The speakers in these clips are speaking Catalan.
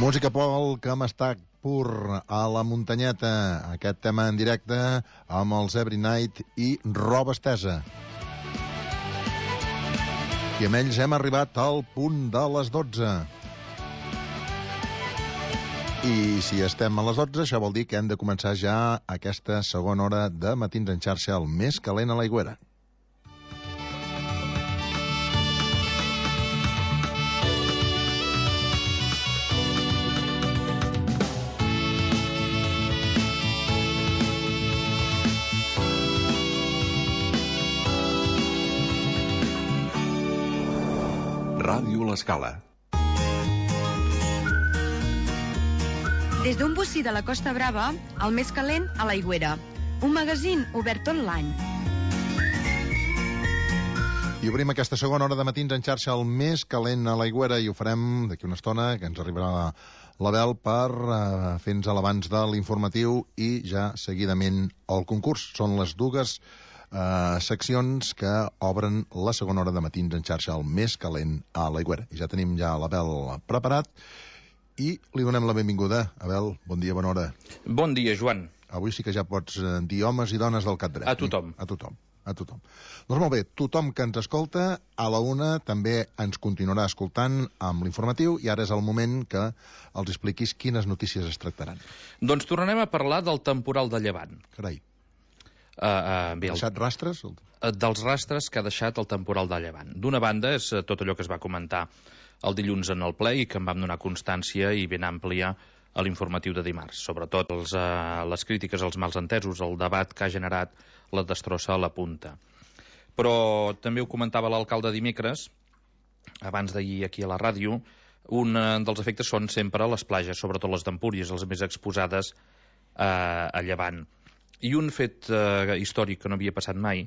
Música folk amb Estat Pur a la muntanyeta. Aquest tema en directe amb els Every Night i Roba Estesa. I amb ells hem arribat al punt de les 12. I si estem a les 12, això vol dir que hem de començar ja aquesta segona hora de Matins en xarxa, el més calent a l'Aigüera. Ràdio L'Escala. Des d'un bocí de la Costa Brava, el més calent a l'Aigüera. Un magazín obert tot l'any. I obrim aquesta segona hora de Matins en xarxa, el més calent a l'Aigüera, i ho farem d'aquí una estona, que ens arribarà l'Abel per fer-nos l'abans de l'informatiu i ja seguidament el concurs. Són les dues seccions que obren la segona hora de Matins en xarxa, el més calent a l'Aigüera. I ja tenim ja l'Abel preparat i li donem la benvinguda. Abel, bon dia, bona hora. Bon dia, Joan. Avui sí que ja pots dir homes i dones del cap dret. A tothom. A tothom. Doncs molt bé, tothom que ens escolta, a la una també ens continuarà escoltant amb l'informatiu, i ara és el moment que els expliquis quines notícies es tractaran. Doncs tornarem a parlar del temporal de Llevant. Carai. Ha deixat rastres? Dels rastres que ha deixat el temporal de Llevant. D'una banda és tot allò que es va comentar el dilluns en el ple i que en vam donar constància i ben àmplia a l'informatiu de dimarts. Sobretot les crítiques als malentesos, el debat que ha generat la destrossa a la punta. Però també ho comentava l'alcalde dimecres, abans d'ahir aquí a la ràdio, un dels efectes són sempre les platges, sobretot les d'Empúries, les més exposades a Llevant. I un fet històric que no havia passat mai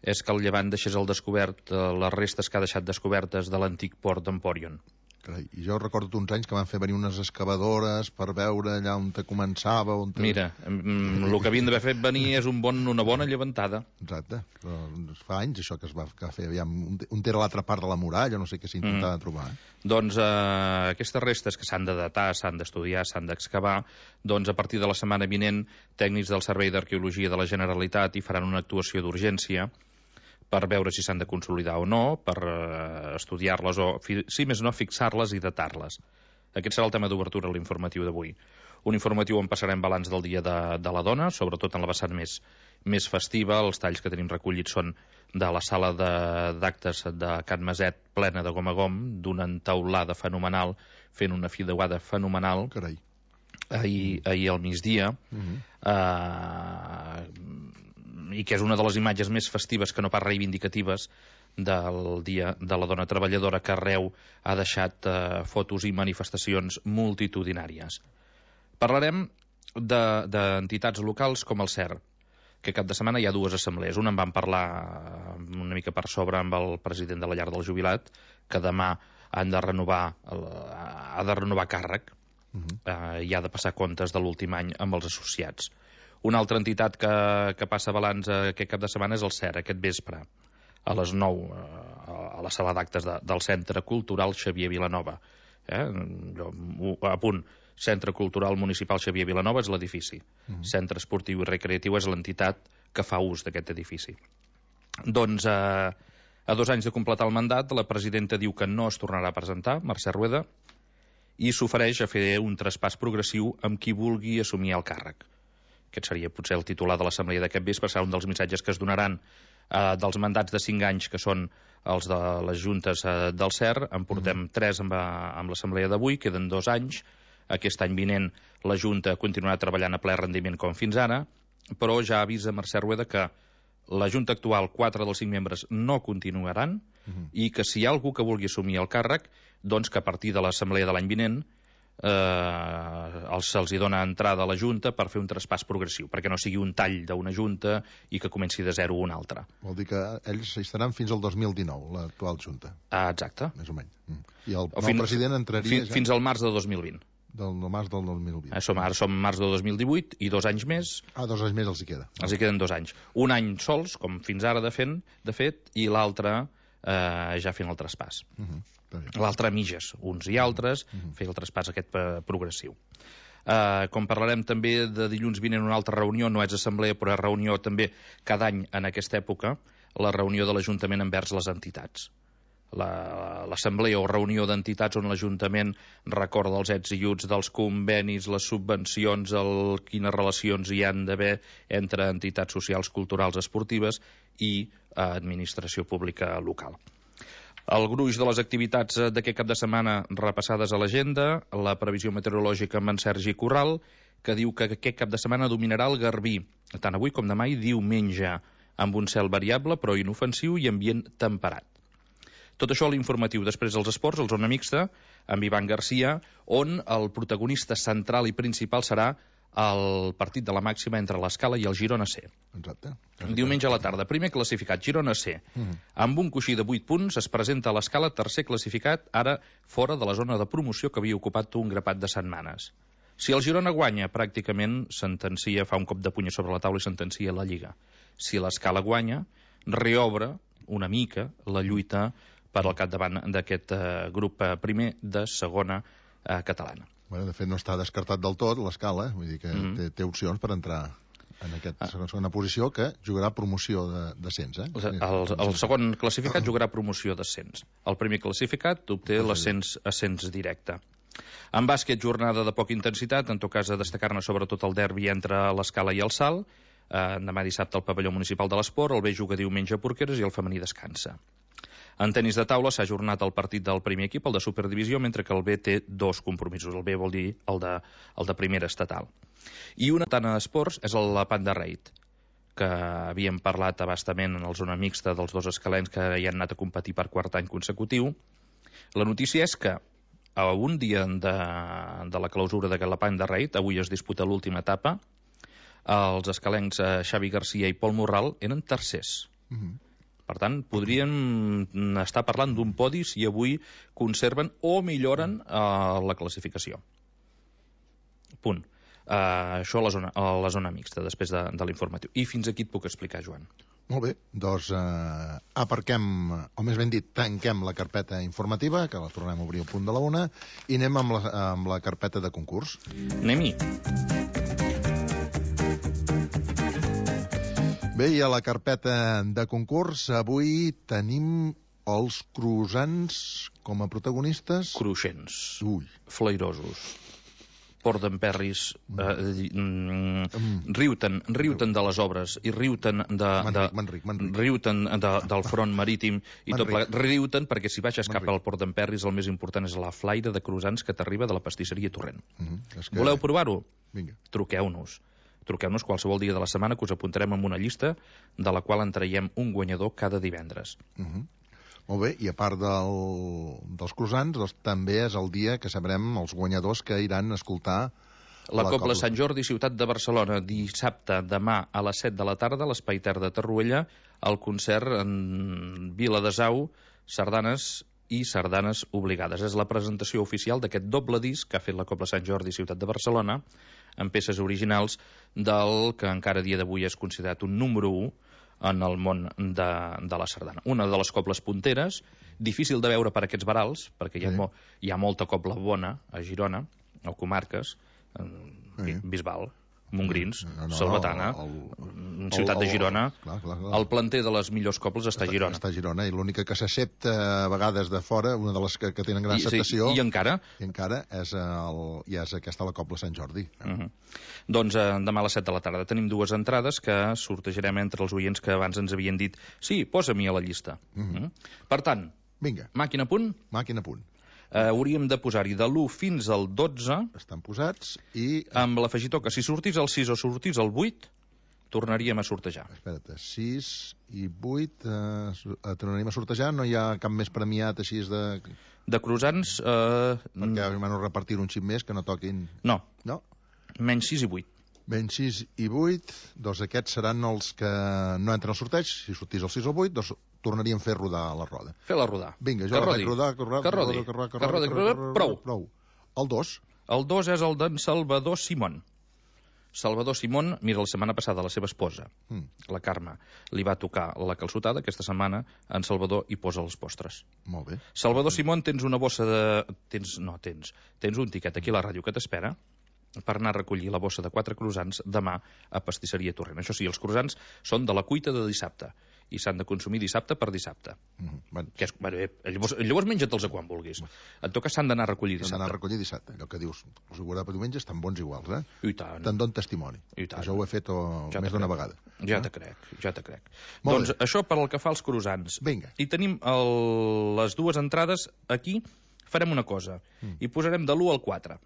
és que el Llevant deixés al descobert les restes que ha deixat descobertes de l'antic port d'Empòrion. Carai, i jo recordo uns anys que van fer venir unes excavadores per veure allà on te començava. Mira, el que havien d'haver fet venir és una bona llevantada. Exacte, però fa anys això que es va fer. Aviam, on era l'altra part de la muralla, no sé què s'intentava trobar. Doncs aquestes restes que s'han de datar, s'han d'estudiar, s'han d'excavar, doncs a partir de la setmana vinent, tècnics del Servei d'Arqueologia de la Generalitat hi faran una actuació d'urgència per veure si s'han de consolidar o no, per estudiar-les o, si més no, fixar-les i datar-les. Aquest serà el tema d'obertura a l'informatiu d'avui. Un informatiu on passarem balanç del Dia de la Dona, sobretot en la vessant més festiva. Els talls que tenim recollits són de la sala d'actes de Can Maset plena de gom a gom, d'una entaulada fenomenal, fent una fideuada fenomenal. Carai. Ahir al migdia, i que és una de les imatges més festives que no pas reivindicatives del Dia de la Dona Treballadora, que arreu ha deixat fotos i manifestacions multitudinàries. Parlarem d'entitats locals com el CER, que cap de setmana hi ha dues assemblees. Una en vam parlar una mica per sobre amb el president de la Llar del Jubilat, que demà ha de renovar càrrec, i ha de passar comptes de l'últim any amb els associats. Una altra entitat que passa balanç aquest cap de setmana és el CER, aquest vespre, a les 9, a la sala d'actes del Centre Cultural Xavier Vilanova. A punt, Centre Cultural Municipal Xavier Vilanova és l'edifici. Centre Esportiu i Recreatiu és l'entitat que fa ús d'aquest edifici. Doncs, a 2 anys de completar el mandat, la presidenta diu que no es tornarà a presentar, Mercè Rueda, i s'ofereix a fer un traspàs progressiu amb qui vulgui assumir el càrrec. Aquest seria potser el titular de l'assemblea d'aquest vespre, serà un dels missatges que es donaran dels mandats de 5 anys, que són els de les juntes del CER. En portem 3 amb l'assemblea d'avui, queden 2 anys. Aquest any vinent la Junta continuarà treballant a ple rendiment com fins ara, però ja avisa Mercè Rueda que la Junta actual, 4 dels 5 membres, no continuaran, i que si hi ha algú que vulgui assumir el càrrec, doncs que a partir de l'assemblea de l'any vinent se'ls dona entrada a la Junta per fer un traspàs progressiu, perquè no sigui un tall d'una Junta i que comenci de zero una altra. Vol dir que ells hi estaran fins al 2019, l'actual Junta. Exacte. Més o menys. I el nou president entraria fins al març de 2020. Del març del 2020. Ara som març de 2018 i 2 anys més. 2 anys més els hi queda. Els hi queden 2 anys. Un any sols, com fins ara de fet, i l'altre ja fent el traspàs. L'altre mitges, uns i altres, fer el traspàs aquest progressiu. Com parlarem també de dilluns vinent una altra reunió, no és assemblea però és reunió també cada any en aquesta època, la reunió de l'Ajuntament envers les entitats. L'assemblea o reunió d'entitats on l'Ajuntament recorda els ets i uts dels convenis, les subvencions, quines relacions hi han d'haver entre entitats socials, culturals, esportives i administració pública local. El gruix de les activitats d'aquest cap de setmana repassades a l'agenda, la previsió meteorològica amb en Sergi Corral, que diu que aquest cap de setmana dominarà el Garbí, tant avui com demà i diumenge, amb un cel variable però inofensiu i ambient temperat. Tot això a l'informatiu. Després dels esports, el Zona Mixta, amb Ivan Garcia, on el protagonista central i principal serà el partit de la màxima entre l'Escala i el Girona C. Exacte. Diumenge a la tarda. Primer classificat, Girona C. Amb un coixí de 8 punts es presenta a l'Escala, tercer classificat, ara fora de la zona de promoció que havia ocupat un grapat de setmanes. Si el Girona guanya, pràcticament sentencia, fa un cop de puny sobre la taula i sentencia la Lliga. Si l'Escala guanya, reobre una mica la lluita per al capdavant d'aquest grup primer de segona catalana. Bueno, de fet, no està descartat del tot l'Escala, vull dir que té opcions per entrar en aquesta segona posició, que jugarà promoció d'ascens. El segon classificat jugarà promoció d'ascens. El primer classificat obté l'ascens directe. En bàsquet, jornada de poca intensitat, en tot cas a destacar-ne sobretot el derbi entre l'Escala i el Salt. Demà dissabte al pavelló municipal de l'Esport, el B juga diumenge a Porqueres i el femení descansa. En tenis de taula s'ha ajornat el partit del primer equip, el de Superdivisió, mentre que el B té 2 compromisos. El B vol dir el de primera estatal. I una tant a esports és la Panda Raid, que havíem parlat abastament en la zona mixta dels 2 escalens que hi han anat a competir per quart any consecutiu. La notícia és que a un dia de la clausura de la Panda Raid, avui es disputa l'última etapa, els escalencs Xavi Garcia i Pol Morral eren tercers. Per tant, podríem estar parlant d'un podi si avui conserven o milloren la classificació. Punt. Això a la zona mixta, després de l'informatiu. I fins aquí et puc explicar, Joan. Molt bé, doncs aparquem, o més ben dit, tanquem la carpeta informativa, que la tornem a obrir al punt de la 1, i anem amb la carpeta de concurs. Anem-hi. Bé, i a la carpeta de concurs avui tenim els croissants com a protagonistes. Cruixents. Ui. Flairosos. Port d'Emperris, riuten de les obres i riuten riuten del front marítim i tot plegat. Riuten perquè si baixes cap al Port d'Emperris el més important és la flaire de croissants que t'arriba de la pastisseria Torrent. Voleu provar-ho? Vinga. Truqueu-nos qualsevol dia de la setmana, que us apuntarem en una llista de la qual en traiem un guanyador cada divendres. Molt bé, i a part dels croissants, doncs, també és el dia que sabrem els guanyadors que iran a escoltar la Cobla Sant Jordi, ciutat de Barcelona, dissabte, demà a les 7 de la tarda, a l'Espai Ter de Torroella, el concert en Vila de Sau, sardanes i sardanes obligades. És la presentació oficial d'aquest doble disc que ha fet la Cobla Sant Jordi, ciutat de Barcelona, amb peces originals del que encara a dia d'avui és considerat un número 1 en el món de la sardana. Una de les cobles punteres, difícil de veure per aquests varals, perquè hi ha molta cobla bona a Girona, o comarques, Bisbal, Montgrins, Salvatana, ciutat de Girona. El planter de les millors cobles està a Girona. Està a Girona, i l'única que s'accepta a vegades de fora, una de les que tenen gran acceptació... I encara? I encara és aquesta la Cobla Sant Jordi. Doncs demà a les 7 de la tarda tenim 2 entrades que sortejarem entre els oients que abans ens havien dit sí, posa-m'hi a la llista. Per tant, màquina a punt? Màquina a punt. Hauríem de posar-hi de l'1 fins al 12. Estan posats i... Amb l'afegitó que si sortís el 6 o sortís el 8, tornaríem a sortejar. Espera't, 6 i 8 tornaríem a sortejar? No hi ha cap més premiat així de... De croissants... Perquè m'han repartit un xip més que no toquin... No. Menys 6 i 8. Menys 6 i 8, doncs aquests seran els que no entren al sorteig. Si sortís el 6 o el 8, doncs tornaríem a fer rodar la roda. Fer-la rodar. Vinga, jo la faig rodar. Que rodi. Prou. El 2. El 2 és el d'en Salvador Simón, Salvador Simón, mira, la setmana passada la seva esposa, la Carme, li va tocar la calçotada. Aquesta setmana en Salvador hi posa els postres. Molt bé. Salvador Simón, tens una bossa de... Tens un tiquet aquí a la ràdio que t'espera per anar a recollir la bossa de 4 croissants demà a Pastisseria Torrent. Això sí, els croissants són de la cuita de dissabte i s'han de consumir dissabte per dissabte. Que és, llavors menja-te'ls a quan vulguis. En tot cas, s'han d'anar a recollir dissabte. S'han d'anar a recollir dissabte. Allò que dius, els guardar per diumenge estan bons iguals, eh? I tant. Te'n dono testimoni. I tant. Això ho he fet més d'una vegada. Ja te crec. Molt Doncs bé. això per al que fa als croissants. Vinga. I tenim les dues entrades aquí. Farem una cosa. I posarem de l'1 al 4.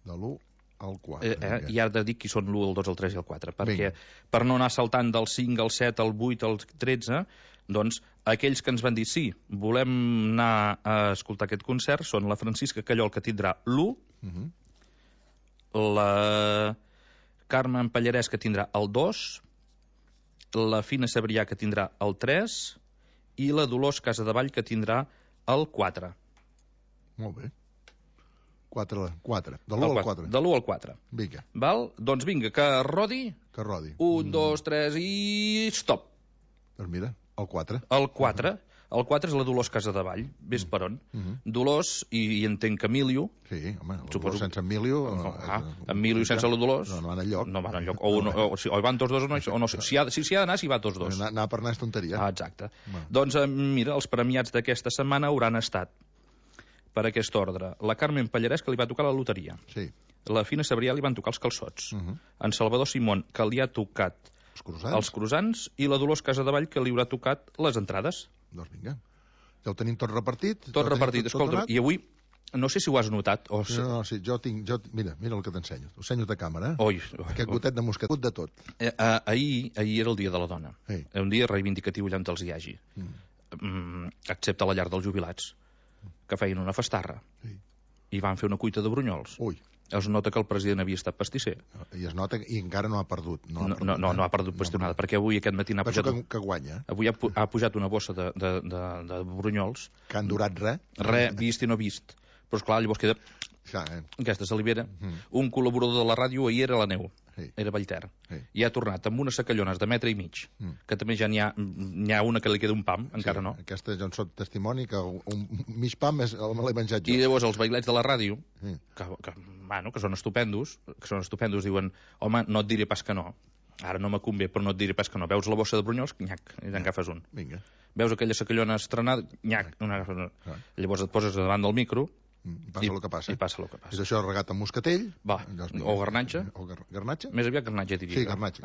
De l'1 al 4. I ara dic qui són l'1, el 2, el 3 i el 4, perquè Vinga. per no anar saltant del 5 al 7, al 8, al 13, doncs aquells que ens van dir sí, volem anar a escoltar aquest concert són la Francisca Callol, que tindrà l'1, la Carme Pallarès, que tindrà el 2, la Fina Sabrià, que tindrà el 3, i la Dolors Casadevall, que tindrà el 4. Molt bé. 4. De l'1 al 4. De l'1 al 4. Vinga, Val? Doncs vinga, que rodi. que rodi. 1, 2, 3 i... stop. Doncs mira, el 4. El 4. El 4 és la Dolors Casadevall. Ves per on. Dolors, i entenc que Emilio... Sí, home, el Suposo- sense Emilio... Emilio sense la Dolors... No van enlloc. No van enlloc. O hi van tots dos o no sé. Si ha d'anar, s'hi va tots dos. Anar per anar és tonteria. Exacte. Va. Doncs mira, els premiats d'aquesta setmana hauran estat per aquest ordre. La Carmen Pallarès, que li va tocar la loteria. Sí. La Fina Sabrià li van tocar els calçots. En Salvador Simón, que li ha tocat Els croissants. els croissants, i la Dolors Casadevall, que li haurà tocat les entrades. Doncs vinga. Ja ho tenim tot repartit. Tot repartit. Escolta, donat? i avui, no sé si ho has notat, o... No, sí, mira el que t'ensenyo. T'ho ensenyo de càmera. Oi, Aquest gotet de mosquet, de tot. ahir era el dia de la dona. Sí. Un dia reivindicatiu allà on els hi hagi. Excepte a la llar dels jubilats, que feien una festarra. Sí. I van fer una cuita de brunyols. Ui, Es nota que el president havia estat pastisser. i es nota i encara no ha perdut. No ha perdut qüestionada, perquè avui aquest matí n'ha Penso pujat... que guanya, Avui ha pujat una bossa de brunyols, que han durat res. vist i no vist. Però, esclar, llavors queda Ja, aquesta salivera. Un col·laborador de la ràdio ahir era la Neu, Sí. era Vallter, Sí. i ha tornat amb unes sacallones de metre i mig, que també ja n'hi ha una que li queda un pam, encara no. Aquesta jo en soc testimoni, que un mig pam me l'he menjat jo. I llavors els bailets de la ràdio, Sí. que són estupendos, diuen, home, no et diré pas que no. Ara no me convé, però no et diré pas que no. Veus la bossa de brunyols? Nyac, i n'agafes un. Vinga. Veus aquella sacallona estrenada? Nyac, n'agafes un. Clar. Llavors et poses davant del micro Passa el que passa. i passa el que passa. És això regat amb moscatell. Va, Llavors, o garnatge. O garnatge? Més aviat garnatge, diria. Sí, garnatge.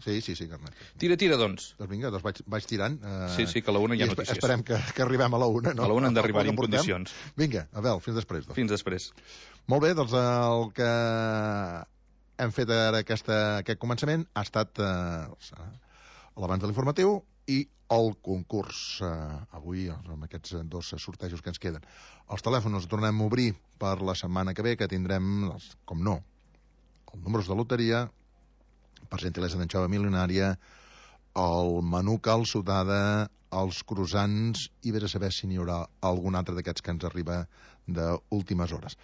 Sí, garnatge. Tira, doncs. Doncs vinga, vaig tirant. Sí, que a la una hi ha i notícies. Esperem que arribem a la una, no? A la una hem d'arribar El que en portem. condicions. Vinga, Abel, fins després. Doncs. Fins després. Molt bé, doncs el que hem fet ara aquest començament ha estat l'abans de l'informatiu i el concurs. Avui, amb aquests dos sortejos que ens queden. Els telèfons els tornem a obrir per la setmana que ve, que tindrem, com no, els números de loteria, per gentilesa d'en Xava Milionària, el menú calçotada, els croissants, i vés a saber si n'hi haurà algun altre d'aquests que ens arriba d'últimes hores.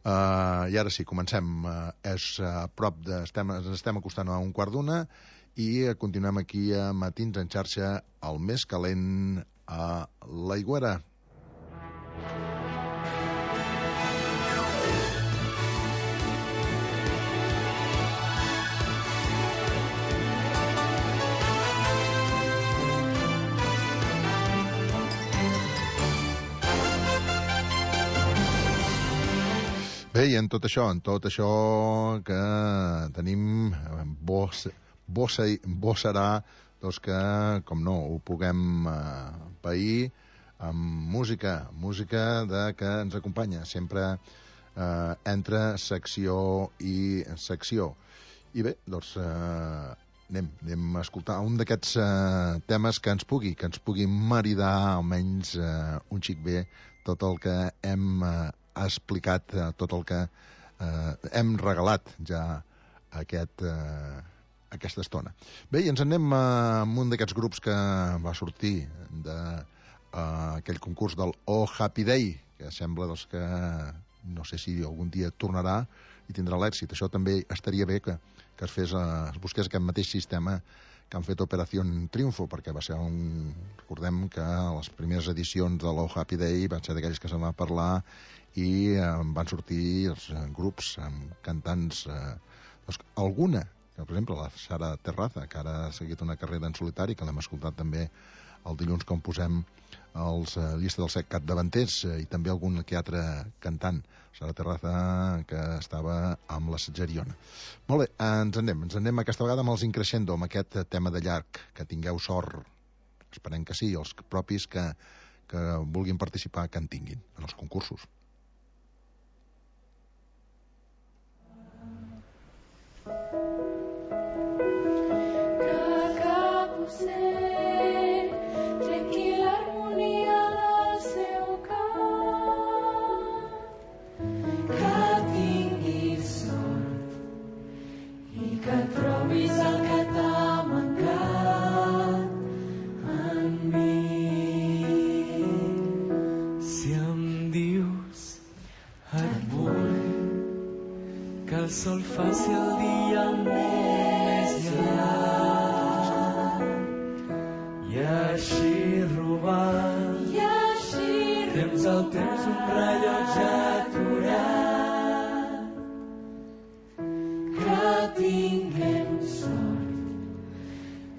I ara sí, comencem. És a prop ens estem acostant a 1:15 i continuem aquí a Matins en xarxa, el més calent a l'Aigüera. Bé, i en tot això que tenim bo serà doncs que, com no, ho puguem pair amb música que ens acompanya sempre entre secció i secció. I bé, doncs anem a escoltar un d'aquests temes que ens pugui maridar almenys un xic bé tot el que hem explicat, tot el que hem regalat ja aquesta estona. Bé, i ens anem amb un d'aquests grups que va sortir d'aquell concurs del Oh Happy Day, que sembla doncs, que no sé si algun dia tornarà, i tindrà l'èxit. Això també estaria bé que es busqués aquest mateix sistema que han fet Operació Triunfo, perquè va ser recordem que les primeres edicions de l'Oh Happy Day van ser d'aquells que se'n va parlar i van sortir els grups amb cantants, alguna, per exemple la Sara Terraza, que ara ha seguit una carrera en solitari, que l'hem escoltat també el dilluns quan posem els llista dels 7 capdavanters, i també algun que altre cantant, Sara Terraza, que estava amb la Setzeriona. Molt bé, ens anem aquesta vegada amb els Increscendo, amb aquest tema de llarg, que tingueu sort, esperem que sí, els propis que vulguin participar, que en tinguin en els concursos. El sol faci el dia molt més llarg i així robar temps al temps un rellotge aturat, que tinguem sort,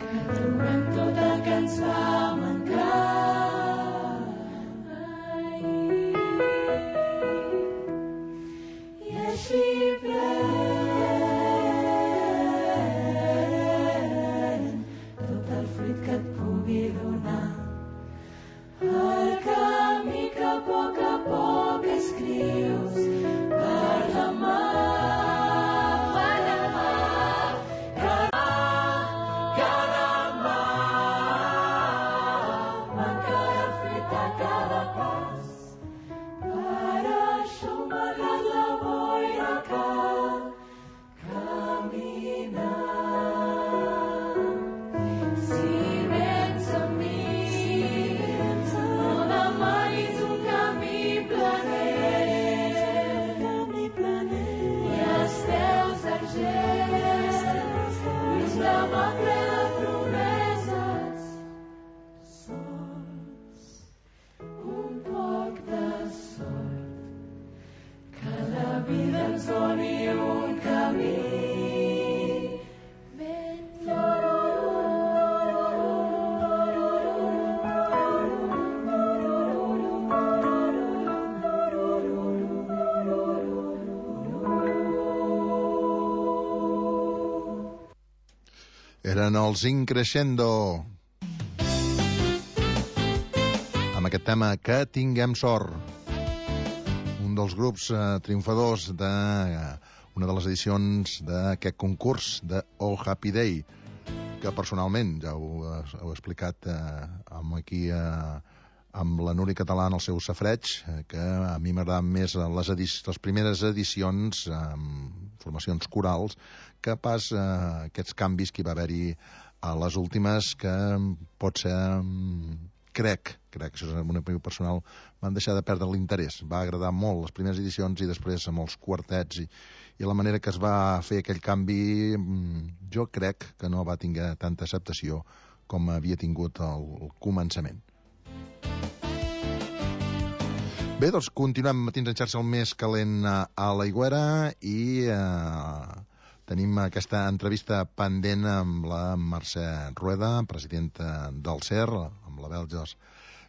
que trobem tot el que ens va mancar. I així Eren els Increscendo amb aquest tema Que tinguem sort, un dels grups triomfadors d'una de les edicions d'aquest concurs de Oh Happy Day, que personalment ja ho he explicat aquí amb la Núria Català en el seu safreig, que a mi m'agraden més les primeres edicions amb formacions corals que pas aquests canvis que hi va haver-hi a les últimes, que pot ser, crec, això és una opinió personal, van deixar de perdre l'interès. Va agradar molt les primeres edicions i després amb els quartets i la manera que es va fer aquell canvi, jo crec que no va tenir tanta acceptació com havia tingut al començament. Bé, doncs continuem matins en xarxa el més calent a l'Aigüera i tenim aquesta entrevista pendent amb la Mercè Rueda, presidenta del CER, amb la Belges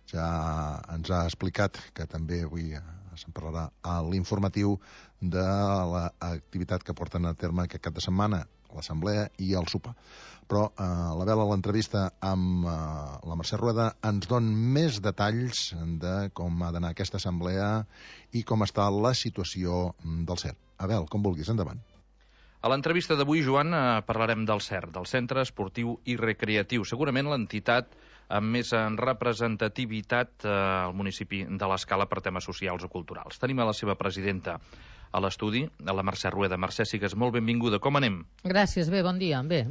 ja ens ha explicat que també avui se'n parlarà a l'informatiu de l'activitat que porten a terme aquest cap de setmana, l'assemblea i el sopar. Però la Bel, a l'entrevista amb la Mercè Rueda, ens don més detalls de com ha d'anar aquesta assemblea i com està la situació del CER. Abel, com vulguis, endavant. A l'entrevista d'avui, Joan, parlarem del CER, del Centre Esportiu i Recreatiu. Segurament l'entitat amb més representativitat al municipi de l'Escala per temes socials o culturals. Tenim a la seva presidenta, a l'estudi, a la Mercè Rueda. Mercè, sigues molt benvinguda. Com anem? Gràcies, bé, bon dia. Bé.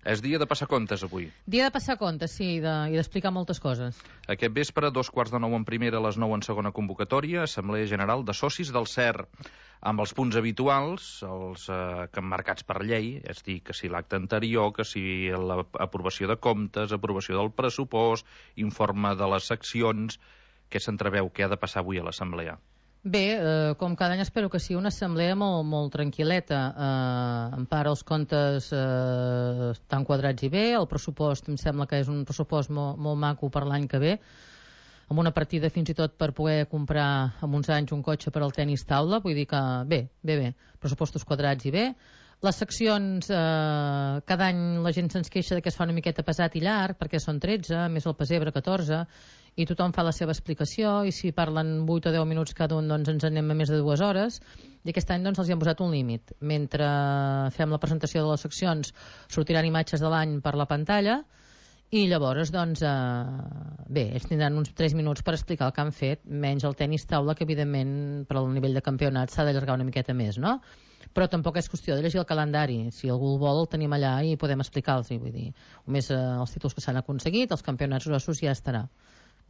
És dia de passar comptes, avui. Dia de passar comptes, sí, i d'explicar moltes coses. Aquest vespre, 2:15 en primera, a les 9 en segona convocatòria, Assemblea General de Socis del CER, amb els punts habituals, els que marcats per llei, és a dir, que si l'acte anterior, que si l'aprovació de comptes, aprovació del pressupost, informe de les seccions. Què s'entreveu? Què ha de passar avui a l'Assemblea? Bé, com cada any espero que sigui una assemblea molt tranquil·leta. En part els comptes estan quadrats i bé, el pressupost em sembla que és un pressupost molt maco per l'any que ve, amb una partida fins i tot per poder comprar en uns anys un cotxe per al tenis taula, vull dir que bé, pressupostos quadrats i bé. Les seccions, cada any la gent se'ns queixa que es fa una miqueta pesat i llarg, perquè són 13, més el pessebre 14, i tothom fa la seva explicació, i si parlen 8 o 10 minuts cada un, doncs ens anem a més de 2 hores, i aquest any doncs els hi han posat un límit. Mentre fem la presentació de les seccions, sortiran imatges de l'any per la pantalla, i llavors, doncs, bé, ells tindran uns 3 minuts per explicar el que han fet, menys el tenis taula, que evidentment per al nivell de campionat s'ha d'allargar una miqueta més, no? Però tampoc és qüestió de llegir el calendari. Si algú el vol, el tenim allà i podem explicar-los. Vull dir, només els títols que s'han aconseguit, els campionats grossos ja estarà.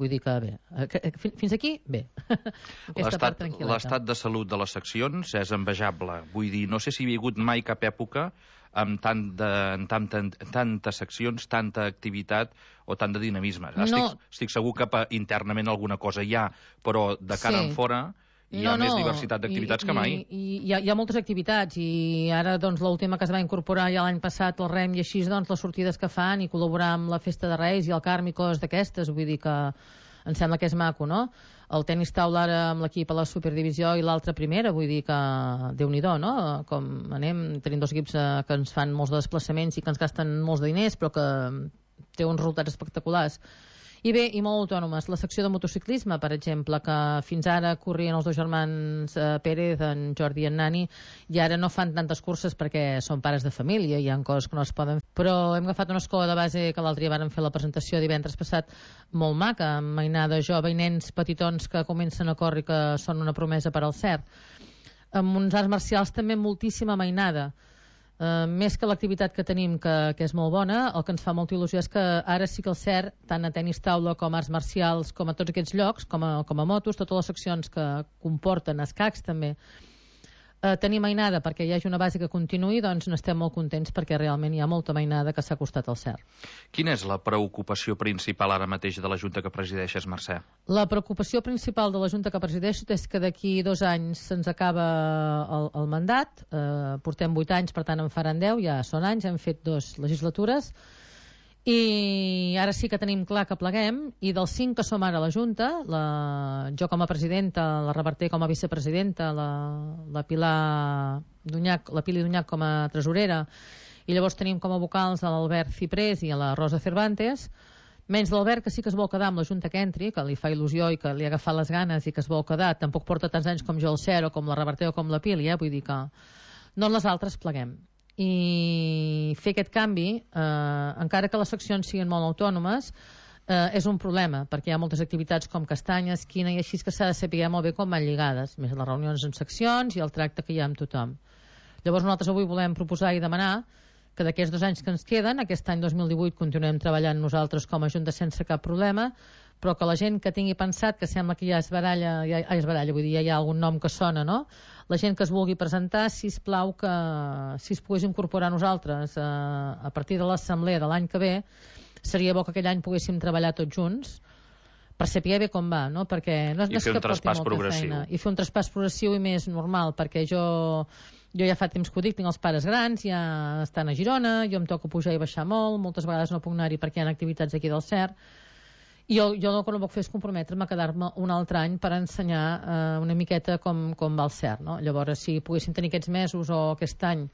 Vull dir que bé. Fins aquí, bé. L'estat de salut de les seccions és envejable. Vull dir, no sé si hi ha hagut mai cap època amb tantes seccions, tanta activitat o tant de dinamisme. Estic segur que internament alguna cosa hi ha, però de cara en fora hi ha més diversitat d'activitats que mai. Hi ha moltes activitats, i ara doncs l'última que es va incorporar ja l'any passat, el rem, i així doncs les sortides que fan i col·laborar amb la Festa de Reis i el Carme i coses d'aquestes, vull dir que em sembla que és maco, no? El tenis taula ara amb l'equip a la Superdivisió i l'altra primera, vull dir que Déu-n'hi-do, no? Com anem, tenim 2 equips que ens fan molts de desplaçaments i que ens gasten molts de diners, però que té uns resultats espectaculars. I bé, i molt autònomes. La secció de motociclisme, per exemple, que fins ara corrien els 2 germans Pérez, en Jordi i en Nani, i ara no fan tantes curses perquè són pares de família, hi ha coses que no es poden fer. Però hem agafat una escola de base que l'altre dia vàrem fer la presentació divendres passat, molt maca, amb mainada jove i nens petitons que comencen a córrer, que són una promesa per al CERT. Amb uns arts marcials també moltíssima mainada. Més que l'activitat que tenim, que és molt bona, el que ens fa molta il·lusió és que ara sí que el CERT, tant a tenis taula com a arts marcials, com a tots aquests llocs, com a motos, totes les seccions que comporten escacs també, tenir mainada perquè hi hagi una base que continuï, doncs n'estem molt contents perquè realment hi ha molta mainada que s'ha costat al CERT. Quina és la preocupació principal ara mateix de la Junta que presideixes, Mercè? La preocupació principal de la Junta que presideixo és que d'aquí 2 anys se'ns acaba el mandat, portem 8 anys, per tant en faran 10, ja són anys, hem fet 2 legislatures, i ara sí que tenim clar que pleguem, i dels 5 que som ara a la Junta, jo com a presidenta, la Reverter com a vicepresidenta, la Pili Dunyac com a tresorera, i llavors tenim com a vocals l'Albert Ciprés i la Rosa Cervantes, menys l'Albert, que sí que es vol quedar amb la Junta que entri, que li fa il·lusió i que li ha agafat les ganes i que es vol quedar, tampoc porta tants anys com jo al CER o com la Reverter o com la Pili, vull dir que no les altres pleguem. I fer aquest canvi, encara que les seccions siguin molt autònomes, és un problema, perquè hi ha moltes activitats com castanya, esquina i així, que s'ha de saber molt bé com van lligades, més les reunions en seccions i el tracte que hi ha amb tothom. Llavors nosaltres avui volem proposar i demanar que d'aquests 2 anys que ens queden, aquest any 2018 continuem treballant nosaltres com a Junta sense cap problema, però que la gent que tingui pensat que sembla que ja es baralla, vull dir, ja hi ha algun nom que sona, no? La gent que es vulgui presentar, sisplau, que si es pogués incorporar a nosaltres a partir de l'assemblea de l'any que ve, seria bo que aquell any poguéssim treballar tots junts per saber bé com va, no? Perquè no és fer que un traspàs progressiu. Feina. I fer un traspàs progressiu i més normal, perquè jo ja fa temps que ho dic, tinc els pares grans, ja estan a Girona, jo em toca pujar i baixar molt, moltes vegades no puc anar-hi perquè hi ha activitats aquí del CERT, i jo el que no puc fer és comprometre'm a quedar-me un altre any per ensenyar una miqueta com va el CERT, no? Llavors, si poguéssim tenir aquests mesos o aquest any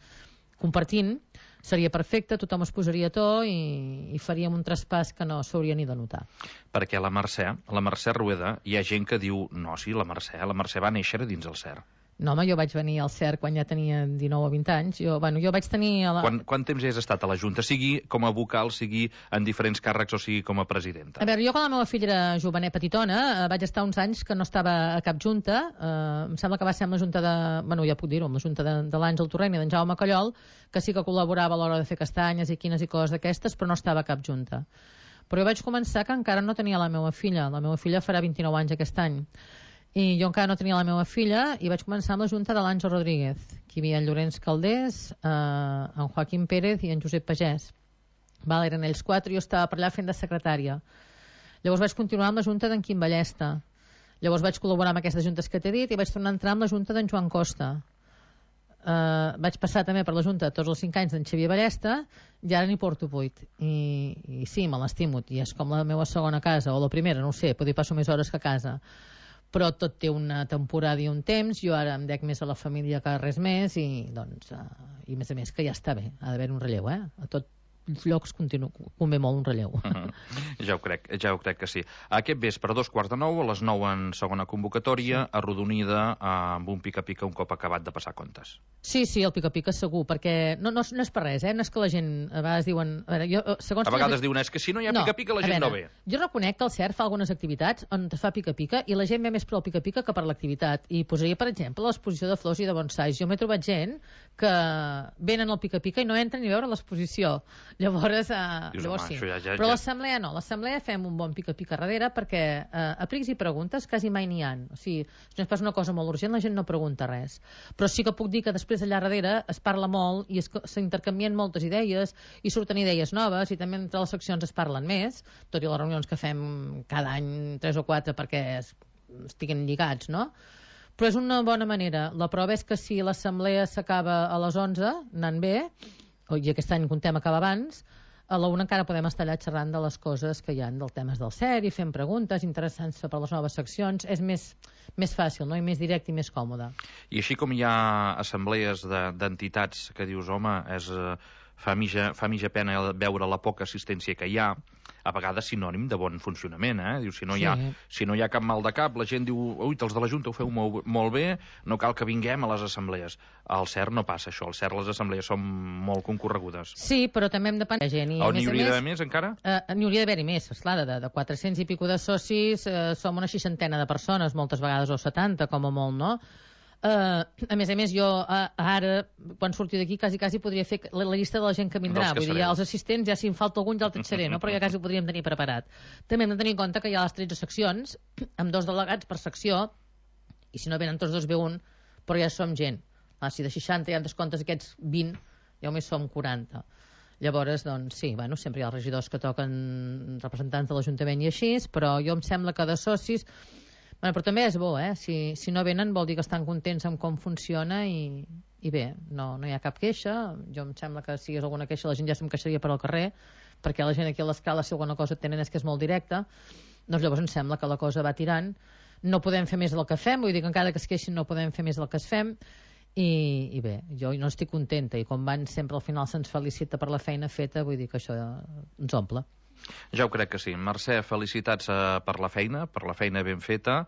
compartint, seria perfecte, tothom es posaria a to i faríem un traspàs que no s'hauria ni de notar. Perquè la Mercè Rueda, hi ha gent que diu, no, sí, la Mercè va néixer dins el CERT. No, home, jo vaig venir al CERC quan ja tenia 19 o 20 anys. Jo vaig tenir... Quant temps has estat a la Junta? Sigui com a vocal, sigui en diferents càrrecs o sigui com a presidenta? A veure, jo quan la meva filla era jovenet petitona, vaig estar uns anys que no estava a cap junta. Em sembla que va ser amb la junta de... Bueno, ja puc dir-ho, amb la junta de l'Àngel Torrent i d'en Jaume Callol, que sí que col·laborava a l'hora de fer castanyes i quines i coses d'aquestes, però no estava a cap junta. Però jo vaig començar que encara no tenia la meva filla. La meva filla farà 29 anys aquest any. I jo encara no tenia la meva filla i vaig començar amb la junta de l'Àngel Rodríguez. Aquí hi havia en Llorenç Caldés, en Joaquim Pérez i en Josep Pagès. Eren ells 4 i jo estava per allà fent de secretària. Llavors vaig continuar amb la junta d'en Quim Ballesta. Llavors vaig col·laborar amb aquestes juntes que t'he dit i vaig tornar a entrar amb la junta d'en Joan Costa. Vaig passar també per la junta tots els 5 anys d'en Xavier Ballesta i ara n'hi porto 8. I sí, me l'estimo, i és com la meva segona casa, o la primera, no ho sé, potser passo més hores que a casa. Però tot té una temporada i un temps. Jo ara em dec més a la família que res més i doncs i a més que ja està bé, ha d'haver un relleu, a tots llocs convé molt un relleu. Ja ho crec que sí. Aquest vespre, a 2:45, a les 9 en segona convocatòria, arrodonida amb un pica-pica un cop acabat de passar comptes. Sí, el pica-pica segur, perquè no és per res, no és que la gent a vegades diuen... A vegades diuen, és que si no hi ha pica-pica la gent no ve. Jo reconec que el CERF fa algunes activitats on es fa pica-pica i la gent ve més per al pica-pica que per l'activitat. I posaria, per exemple, l'exposició de flors i de bonsais. Jo m'he trobat gent que venen al pica-pica i no entren ni a veure l'exposició. Llavors sí. Però l'assemblea no. L'assemblea fem un bon pica-pica darrere perquè a prics i preguntes quasi mai n'hi ha. O sigui, si no és pas una cosa molt urgent, la gent no pregunta res. Però sí que puc dir que després allà darrere es parla molt i s'intercanvien moltes idees i surten idees noves i també entre les seccions es parlen més, tot i les reunions que fem cada any 3 o 4 perquè estiguin lligats, no? Però és una bona manera. La prova és que si l'assemblea s'acaba a les 11, anant bé, i aquest any contem acabar abans, a la 1 encara podem estar allà xerrant de les coses que hi ha, dels temes del CER i fent preguntes interessants per les noves seccions. És més fàcil, no? I més directe i més còmode. I així com hi ha assemblees d'entitats que dius, home, fa mitja pena veure la poca assistència que hi ha, a vegades sinònim de bon funcionament, Diu, si no hi ha cap mal de cap, la gent diu, ui, els de la Junta ho feu molt bé, no cal que vinguem a les assemblees. Al CERC no passa això, al CERC les assemblees són molt concorregudes. Sí, però també hem de pensar gent. On n'hi hauria d'haver més, encara? N'hi hauria d'haver-hi més, esclar, de 400 i pico de socis, som una 60 de persones, moltes vegades, o 70, com a molt, no? A més, jo ara, quan surti d'aquí, quasi podria fer la llista de la gent que vindrà. Vull dir, els assistents, ja si em falta algun ja el tatxaré, no? Però ja quasi ho podríem tenir preparat. També hem de tenir en compte que hi ha les 13 seccions, amb 2 delegats per secció, i si no venen tots 2 ve un, però ja som gent. Si de 60 ja en descomptes aquests 20, ja només som 40. Llavors, doncs sí, sempre hi ha els regidors que toquen representants de l'Ajuntament i així, però jo em sembla que de socis... Però també és bo, si no venen vol dir que estan contents amb com funciona i bé, no hi ha cap queixa. Jo em sembla que si hi hagués alguna queixa la gent ja se'm queixaria per al carrer, perquè la gent aquí a l'escala, si alguna cosa tenen és que és molt directa. Doncs llavors em sembla que la cosa va tirant. No podem fer més del que fem, vull dir que encara que es queixin no podem fer més del que es fem. I bé, jo no estic contenta i com van sempre al final se'ns felicita per la feina feta, vull dir que això ens omple. Ja ho crec que sí. Mercè, felicitats per la feina ben feta,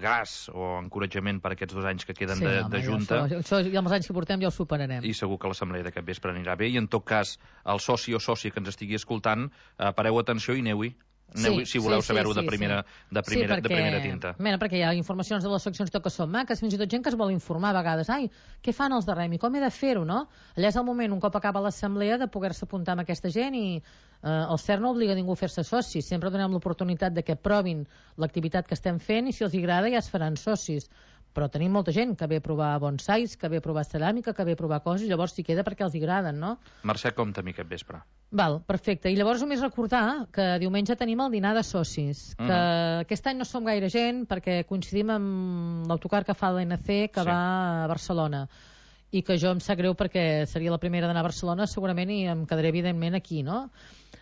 gràs o encoratjament per aquests 2 anys que queden de Junta. Això i amb els anys que portem ja ho superarem. I segur que l'assemblea d'aquest vespre anirà bé. I en tot cas, el soci o sòcia que ens estigui escoltant, pareu atenció i aneu-hi. Si voleu saber-ho de primera tinta. Perquè hi ha informacions de les seccions que són maques, fins i tot gent que es vol informar a vegades. Què fan els de Rem i com he de fer-ho, no? Allà és el moment, un cop acaba l'assemblea, de poder-se apuntar amb aquesta gent i el CERC no obliga ningú a fer-se soci. Sempre donem l'oportunitat de que provin l'activitat que estem fent i si els agrada ja es faran socis. Però tenim molta gent que ve a provar bonsais, que ve a provar ceràmica, que ve a provar coses, llavors s'hi queda perquè els agraden, no? Mercè, compta amb aquest vespre. Val, perfecte. I llavors només recordar que diumenge tenim el dinar de socis, que aquest any no som gaire gent perquè coincidim amb l'autocar que fa l'ANC que va a Barcelona i que jo em sap greu perquè seria la primera d'anar a Barcelona segurament i em quedaré evidentment aquí, no?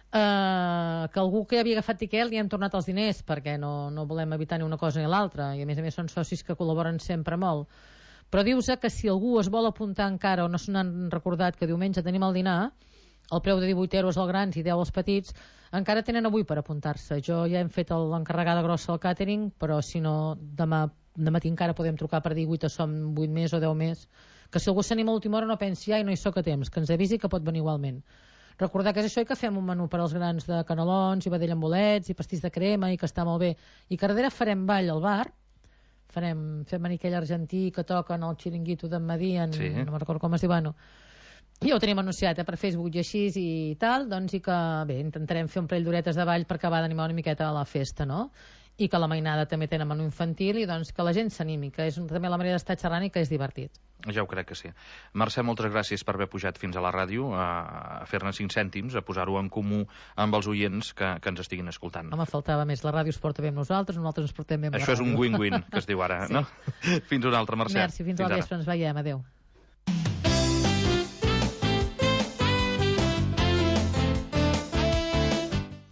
Que algú que havia agafat tiquet li hem tornat els diners perquè no volem evitar ni una cosa ni l'altra i a més són socis que col·laboren sempre molt, però dius que si algú es vol apuntar encara o no se n'han recordat que diumenge tenim el dinar, el preu de 18 euros als grans i 10 als petits, encara tenen avui per apuntar-se. Jo ja hem fet l'encarregada grossa al càtering, però si no demà de matí encara podem trucar per dir 8 som 8 més o 10 més, que si algú s'anima a l'última hora no pensi ai, no hi soc a temps, que ens avisi que pot venir igualment. Recordar que és això i que fem un menú per als grans de canelons i vedella amb bolets i pastís de crema i que està molt bé, i que darrere farem ball al bar, fem aquell argentí que toquen el xiringuito d'en Madian, sí. No me'n recordo com es diu, bueno, ja ho tenim anunciat per Facebook i així i tal, doncs, i que bé, intentarem fer un parell d'horetes de ball per acabar d'animar una miqueta a la festa, no? I que la mainada també tenen menú infantil i doncs que la gent s'animi, que és també la manera d'estar xerrant i que és divertit. Ja ho crec que sí. Mercè, moltes gràcies per haver pujat fins a la ràdio a fer-ne 5 cèntims, a posar-ho en comú amb els oients que ens estiguin escoltant. Home, faltava més. La ràdio es porta bé amb nosaltres ens portem bé amb la ràdio. Això és un win-win, que es diu ara, sí. No? Fins una altra, Mercè. Merci, fins al vespre, ens veiem. Adéu.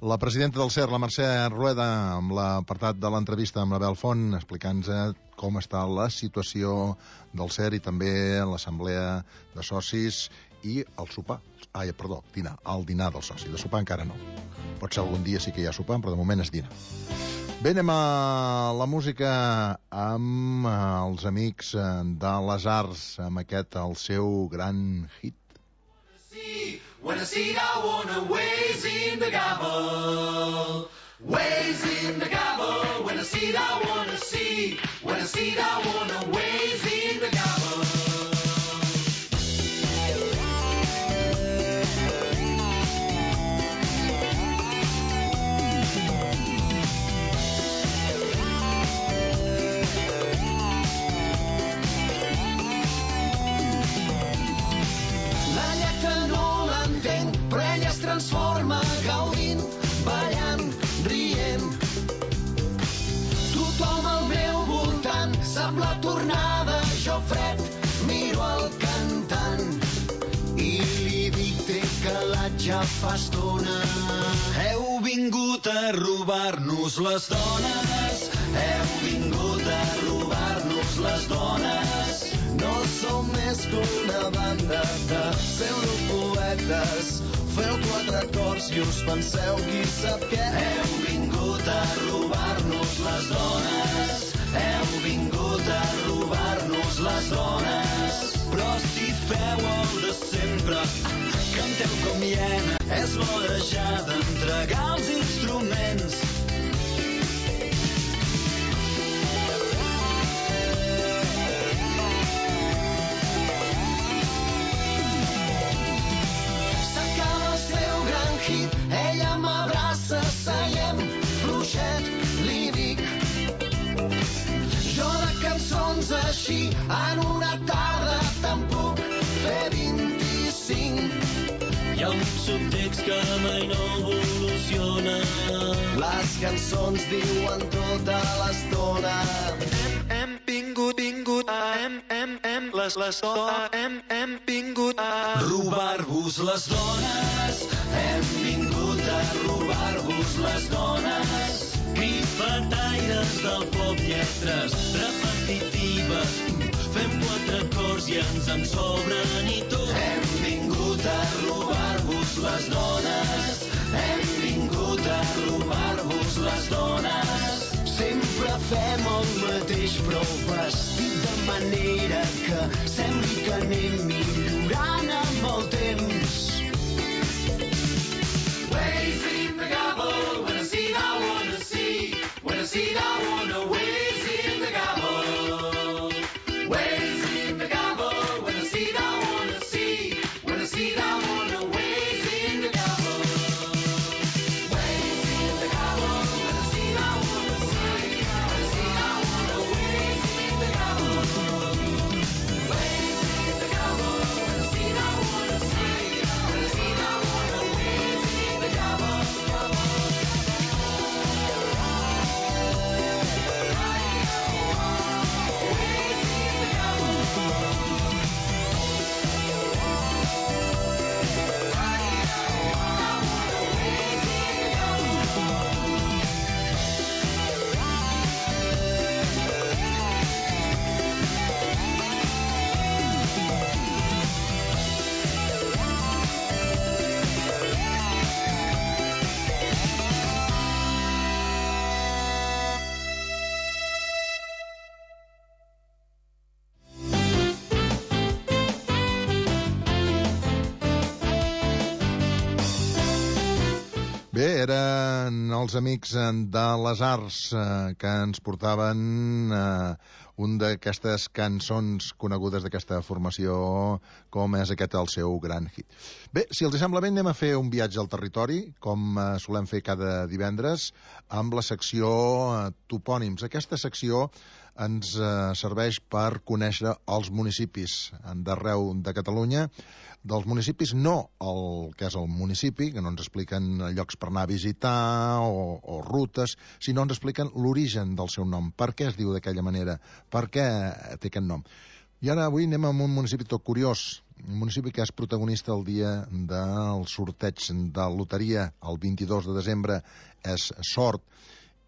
La presidenta del CER, la Mercè Rueda, amb l'apartat de l'entrevista amb l'Abel Font, explicant-nos com està la situació del CER i també l'assemblea de socis i el sopar. El dinar del soci. De sopar encara no. Pot ser algun dia sí que hi ha sopar, però de moment és dinar. Bé, anem a la música amb els amics de les arts, amb aquest, el seu gran hit. When I see I wanna ways in the gabble, ways in the gabble. When I see I wanna see, when I see I wanna ways in the gabble. Transforma gaudint, ballant, rient. Tothom al meu voltant sap la tornada, jo fred miro el cantant i li dic té calat ja fa estona. Heu vingut a robar-nos les dones, heu vingut a robar-nos les dones. No som més que una banda de pseudopoetes. Feu 4 acords i us penseu qui sap què. Heu vingut a robar-nos les dones, heu vingut a robar-nos les dones. Però si feu el de sempre, canteu com hiena, és l'hora ja d'entregar els instruments. Ella m'abraça, seiem, fluixet, li dic. Jo de cançons així, en una tarda te'n puc fer 25. Hi ha un subtext que mai no evoluciona. Les cançons diuen tota l'estona. Hem vingut, hem vingut a robar-vos les dones. Hem vingut a robar-vos les dones. Grifetaires del pop, lletres repetitives. Fem 4 acords i ens en sobren i tot. Hem vingut a robar-vos les dones. Hem vingut a robar-vos les dones. Sempre fem el mateix, però vestit de manera que sembli que anem millorant amb el temps. Ways in the gabble, when I see I wanna see, when I see I wanna ways in the gabble. Ways in the gabble, when I see I wanna see, when I see I wanna ways in the gabble. Ways in the gabble, when I see I wanna see, when I see I wanna ways in the gabble. Ways in the gabble, when I see I wanna see. eren els amics de les arts que ens portaven un d'aquestes cançons conegudes d'aquesta formació, com és aquest el seu gran hit. Bé, si els sembla bé, anem a fer un viatge al territori, com solem fer cada divendres, amb la secció Topònims. Aquesta secció ens serveix per conèixer els municipis d'arreu de Catalunya, dels municipis, no el que és el municipi, que no ens expliquen llocs per anar a visitar o rutes, sinó ens expliquen l'origen del seu nom, per què es diu d'aquella manera, per què té aquest nom. I ara avui anem a un municipi tot curiós, un municipi que és protagonista el dia del sorteig de loteria, el 22 de desembre, és Sort,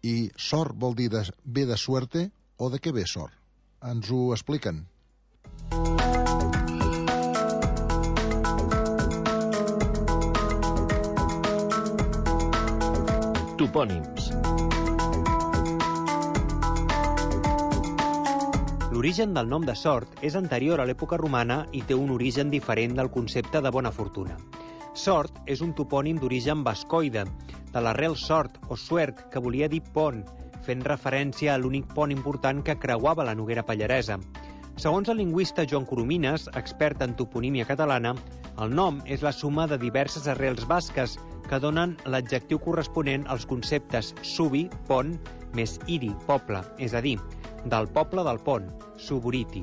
i Sort vol dir ve de suerte o de què ve Sort? Ens ho expliquen. Topònims. L'origen del nom de Sort és anterior a l'època romana i té un origen diferent del concepte de bona fortuna. Sort és un topònim d'origen bascoide, de l'arrel sort o suert, que volia dir pont, fent referència a l'únic pont important que creuava la Noguera Pallaresa. Segons el lingüista Joan Coromines, expert en toponímia catalana, el nom és la suma de diverses arrels basques que donen l'adjectiu corresponent als conceptes subi, pont, més iri, poble, és a dir, del poble del pont, suburiti.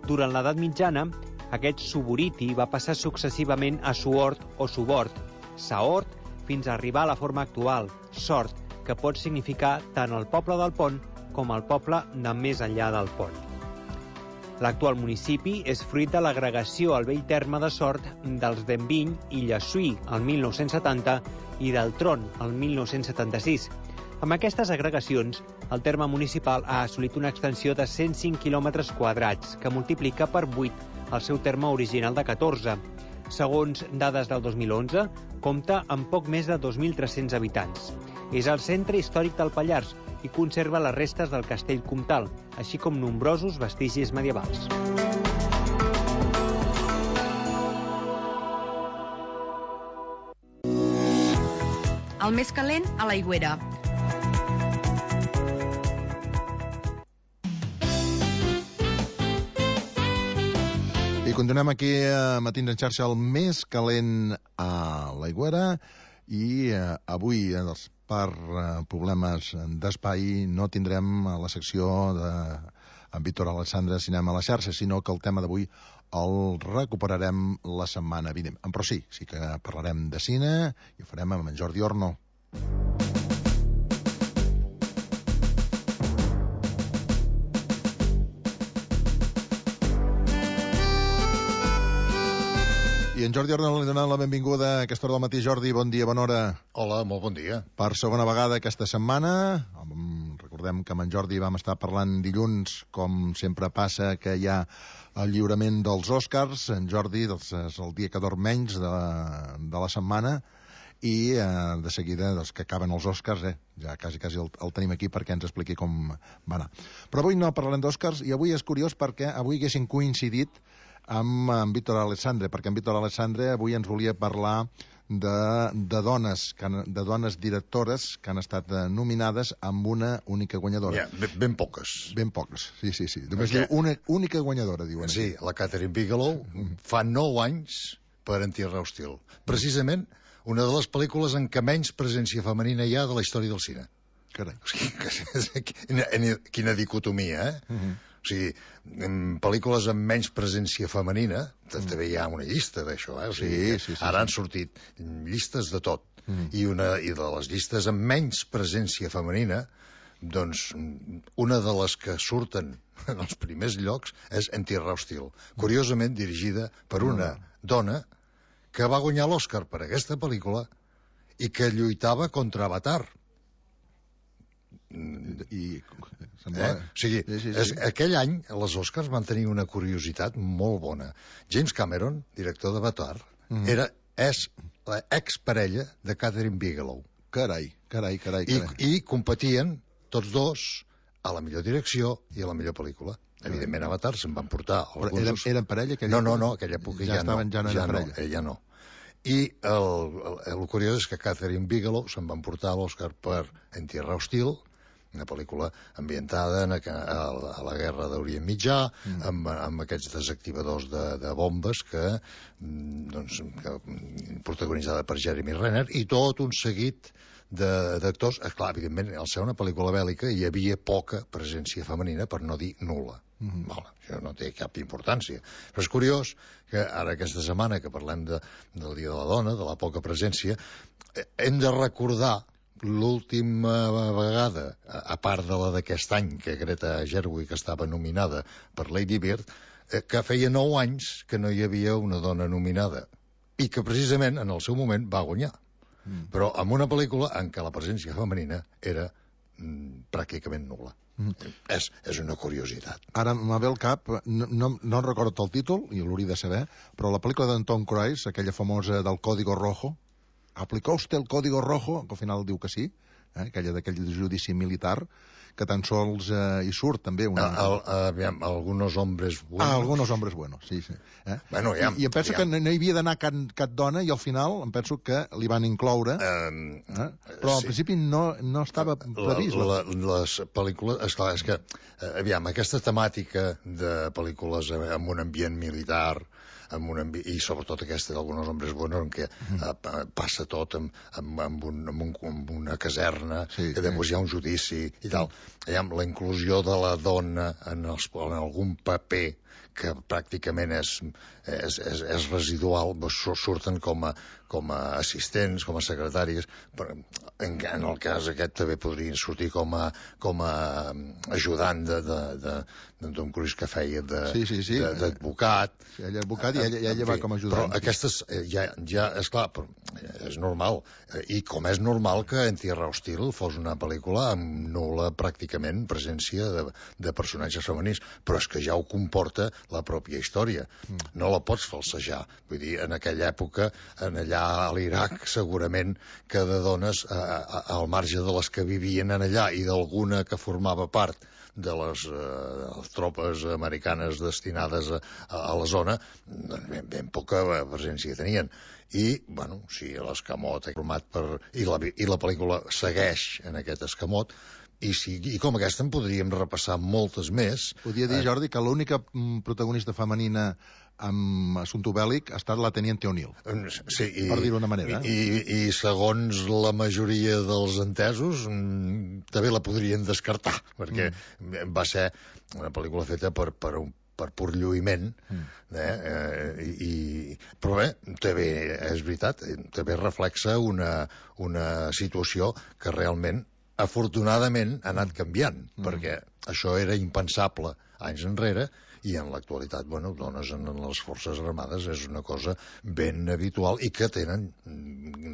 Durant l'edat mitjana, aquest suburiti va passar successivament a suort o subort, saort, fins a arribar a la forma actual, sort, que pot significar tant el poble del pont com el poble de més enllà del pont. L'actual municipi és fruit de l'agregació al vell terme de Sort dels d'Enviny i Llessui el 1970 i del Tron el 1976. Amb aquestes agregacions, el terme municipal ha assolit una extensió de 105 quilòmetres quadrats, que multiplica per 8 el seu terme original de 14. Segons dades del 2011, compta amb poc més de 2.300 habitants. És el centre històric del Pallars i conserva les restes del castell comtal, així com nombrosos vestigis medievals. El més calent a l'Aigüera. I continuem aquí a Matins en xarxa, el més calent a l'Aigüera, i avui, per problemes d'espai, no tindrem la secció amb Víctor Alexandre Cinema a la xarxa, sinó que el tema d'avui el recuperarem la setmana vinent. Però sí que parlarem de cine i ho farem amb en Jordi Orno. I en Jordi Orno li donem la benvinguda a aquesta hora del matí. Jordi, bon dia, bona hora. Hola, molt bon dia. Per segona vegada aquesta setmana. Recordem que amb en Jordi vam estar parlant dilluns, com sempre passa, que hi ha el lliurament dels Oscars. En Jordi és el dia que dorm menys de la setmana, i de seguida, que acaben els Oscars, ja quasi el tenim aquí perquè ens expliqui com va anar. Però avui no parlarem d'Oscars, i avui és curiós perquè avui haguessin coincidit amb en Víctor Alexandre, perquè en Víctor Alexandre avui ens volia parlar de dones directores que han estat nominades amb una única guanyadora. Ben poques. Ben poques, sí. Només diu una única guanyadora, diuen. Sí, la Catherine Bigelow fa 9 anys per Anti-Raw Steel. Precisament una de les pel·lícules en què menys presència femenina hi ha de la història del cine. Carai. Quina dicotomia, O sigui, en pel·lícules amb menys presència femenina, també hi ha una llista d'això, Sí. Ara han sortit llistes de tot. I de les llistes amb menys presència femenina, doncs una de les que surten en els primers llocs és Anti-Raw Steel, curiosament dirigida per una dona que va guanyar l'Oscar per aquesta pel·lícula i que lluitava contra Avatar. Aquell any les Oscars van tenir una curiositat molt bona. James Cameron, director d'Avatar, és l'exparella de Catherine Bigelow. Carai. I competien tots dos a la millor direcció i a la millor pel·lícula. Evidentment, Avatar se'n van portar alguns... Eren parella? No, aquella època ja no. Ja no eren parella. Ella no. I el curiós és que Catherine Bigelow se'n va emportar l'Oscar per En Tierra Hostil, una pel·lícula ambientada a la guerra d'Orient Mitjà, amb aquests desactivadors de bombes protagonitzada per Jeremy Renner, i tot un seguit d'actors. Clar, evidentment, al ser una pel·lícula bèl·lica hi havia poca presència femenina, per no dir nul·la. Això no té cap importància. Però és curiós que ara aquesta setmana que parlem del Dia de la Dona, de la poca presència, hem de recordar l'última vegada, a part de la d'aquest any, que Greta Gerwig estava nominada per Lady Bird, que feia 9 anys que no hi havia una dona nominada, i que precisament en el seu moment va guanyar. Però amb una pel·lícula en què la presència femenina era pràcticament nul·la. És una curiositat. Ara m'ha ve al cap, no recordo el títol, i l'hauria de saber, però la pel·lícula d'en Tom Cruise, aquella famosa del Código Rojo, ¿aplicó usted el Código Rojo? Que al final diu que sí, aquell judici militar, que tan sols hi surt també algunos hombres buenos. Algunos hombres buenos, sí. Bueno, I em penso que no hi havia d'anar cap dona, i al final em penso que li van incloure, però al principi no estava previst. Les pel·lícules, esclar, és que, aquesta temàtica de pel·lícules amb un ambient militar, i sobretot aquesta d'Algunos hombres buenos, en què passa tot amb una caserna, que després hi ha un judici i tal. La inclusió de la dona en algun paper que pràcticament és residual, surten com a assistents, com a secretàries. En el cas aquest també podrien sortir com a ajudant d'en Tom Cruise, que feia d'advocat. Ell és advocat i ella va com a ajudant. Però aquestes ja és clar, és normal. I com és normal que En Tierra Hostil fos una pel·lícula amb nul·la pràcticament presència de personatges femenins, però és que ja ho comporta la pròpia història. No la pots falsejar. Vull dir, en aquella època, allà a l'Iraq, segurament que de dones, al marge de les que vivien allà i d'alguna que formava part de les tropes americanes destinades a la zona, ben poca presència tenien. I, bueno, si l'escamot format i la pel·lícula segueix en aquest escamot, i com aquesta en podríem repassar moltes més. Podria dir, Jordi, que l'única protagonista femenina amb assumpte bèl·lic ha estat la Teniente O'Neill, per dir-ho d'una manera. I segons la majoria dels entesos, també la podrien descartar, perquè va ser una pel·lícula feta per pur lluïment, però bé, també és veritat, també reflexa una situació que realment afortunadament ha anat canviant, perquè això era impensable anys enrere, i en l'actualitat, dones en les Forces Armades és una cosa ben habitual i que tenen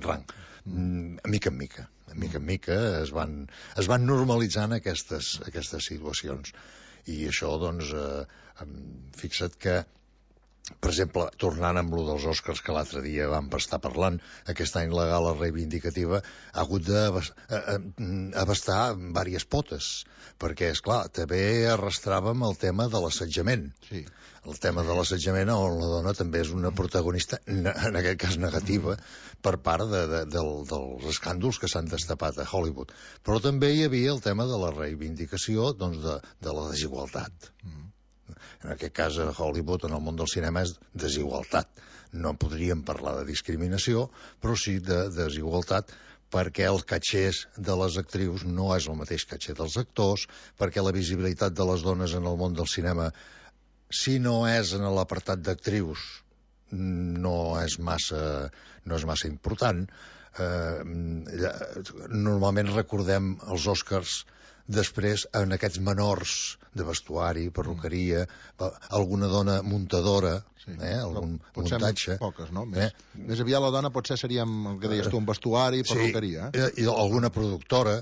rang. Mica en mica. Mica en mica es van normalitzant aquestes situacions. I això, doncs, fixa't que, per exemple, tornant amb lo dels Oscars que l'altre dia vam estar parlant, aquest any la gala reivindicativa ha hagut d'abastar diverses potes, perquè, esclar, també arrastràvem el tema de l'assetjament. Sí. El tema de l'assetjament on la dona també és una protagonista, en aquest cas negativa, per part dels escàndols que s'han destapat a Hollywood. Però també hi havia el tema de la reivindicació de la desigualtat. En aquest cas, a Hollywood, en el món del cinema, és desigualtat. No podríem parlar de discriminació, però sí de desigualtat, perquè el catxer de les actrius no és el mateix catxer dels actors, perquè la visibilitat de les dones en el món del cinema, si no és en l'apartat d'actrius, no és massa important. Normalment recordem els Oscars després en aquests menors de vestuari, perruqueria, alguna dona muntadora, algun muntatge. Poques, no? Més aviat la dona potser seria, el que deies tu, un vestuari, perruqueria. I alguna productora,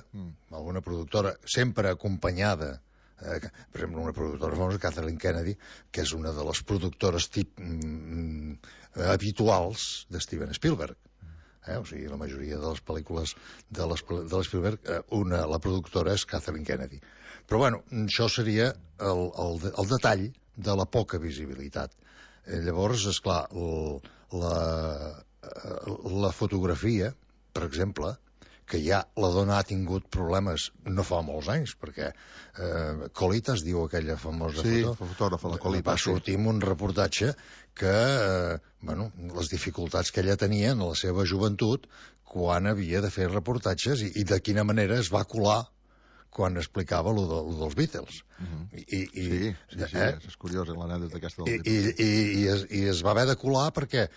sempre acompanyada, per exemple, una productora famosa, Kathleen Kennedy, que és una de les productores habituals de Steven Spielberg. O sigui, la majoria de les pel·lícules de l'Spielberg, la productora és Kathleen Kennedy. Però, bueno, això seria el detall de la poca visibilitat. Llavors, esclar, la fotografia, per exemple, que ja la dona ha tingut problemes no fa molts anys, perquè Colita es diu aquella famosa fotògrafa, la Colita. Va sortir en un reportatge que les dificultats que ella tenia en la seva joventut quan havia de fer reportatges i de quina manera es va colar quan explicava lo dels Beatles. Sí, és curiós l'anècdota aquesta dels Beatles. I es va haver de colar perquè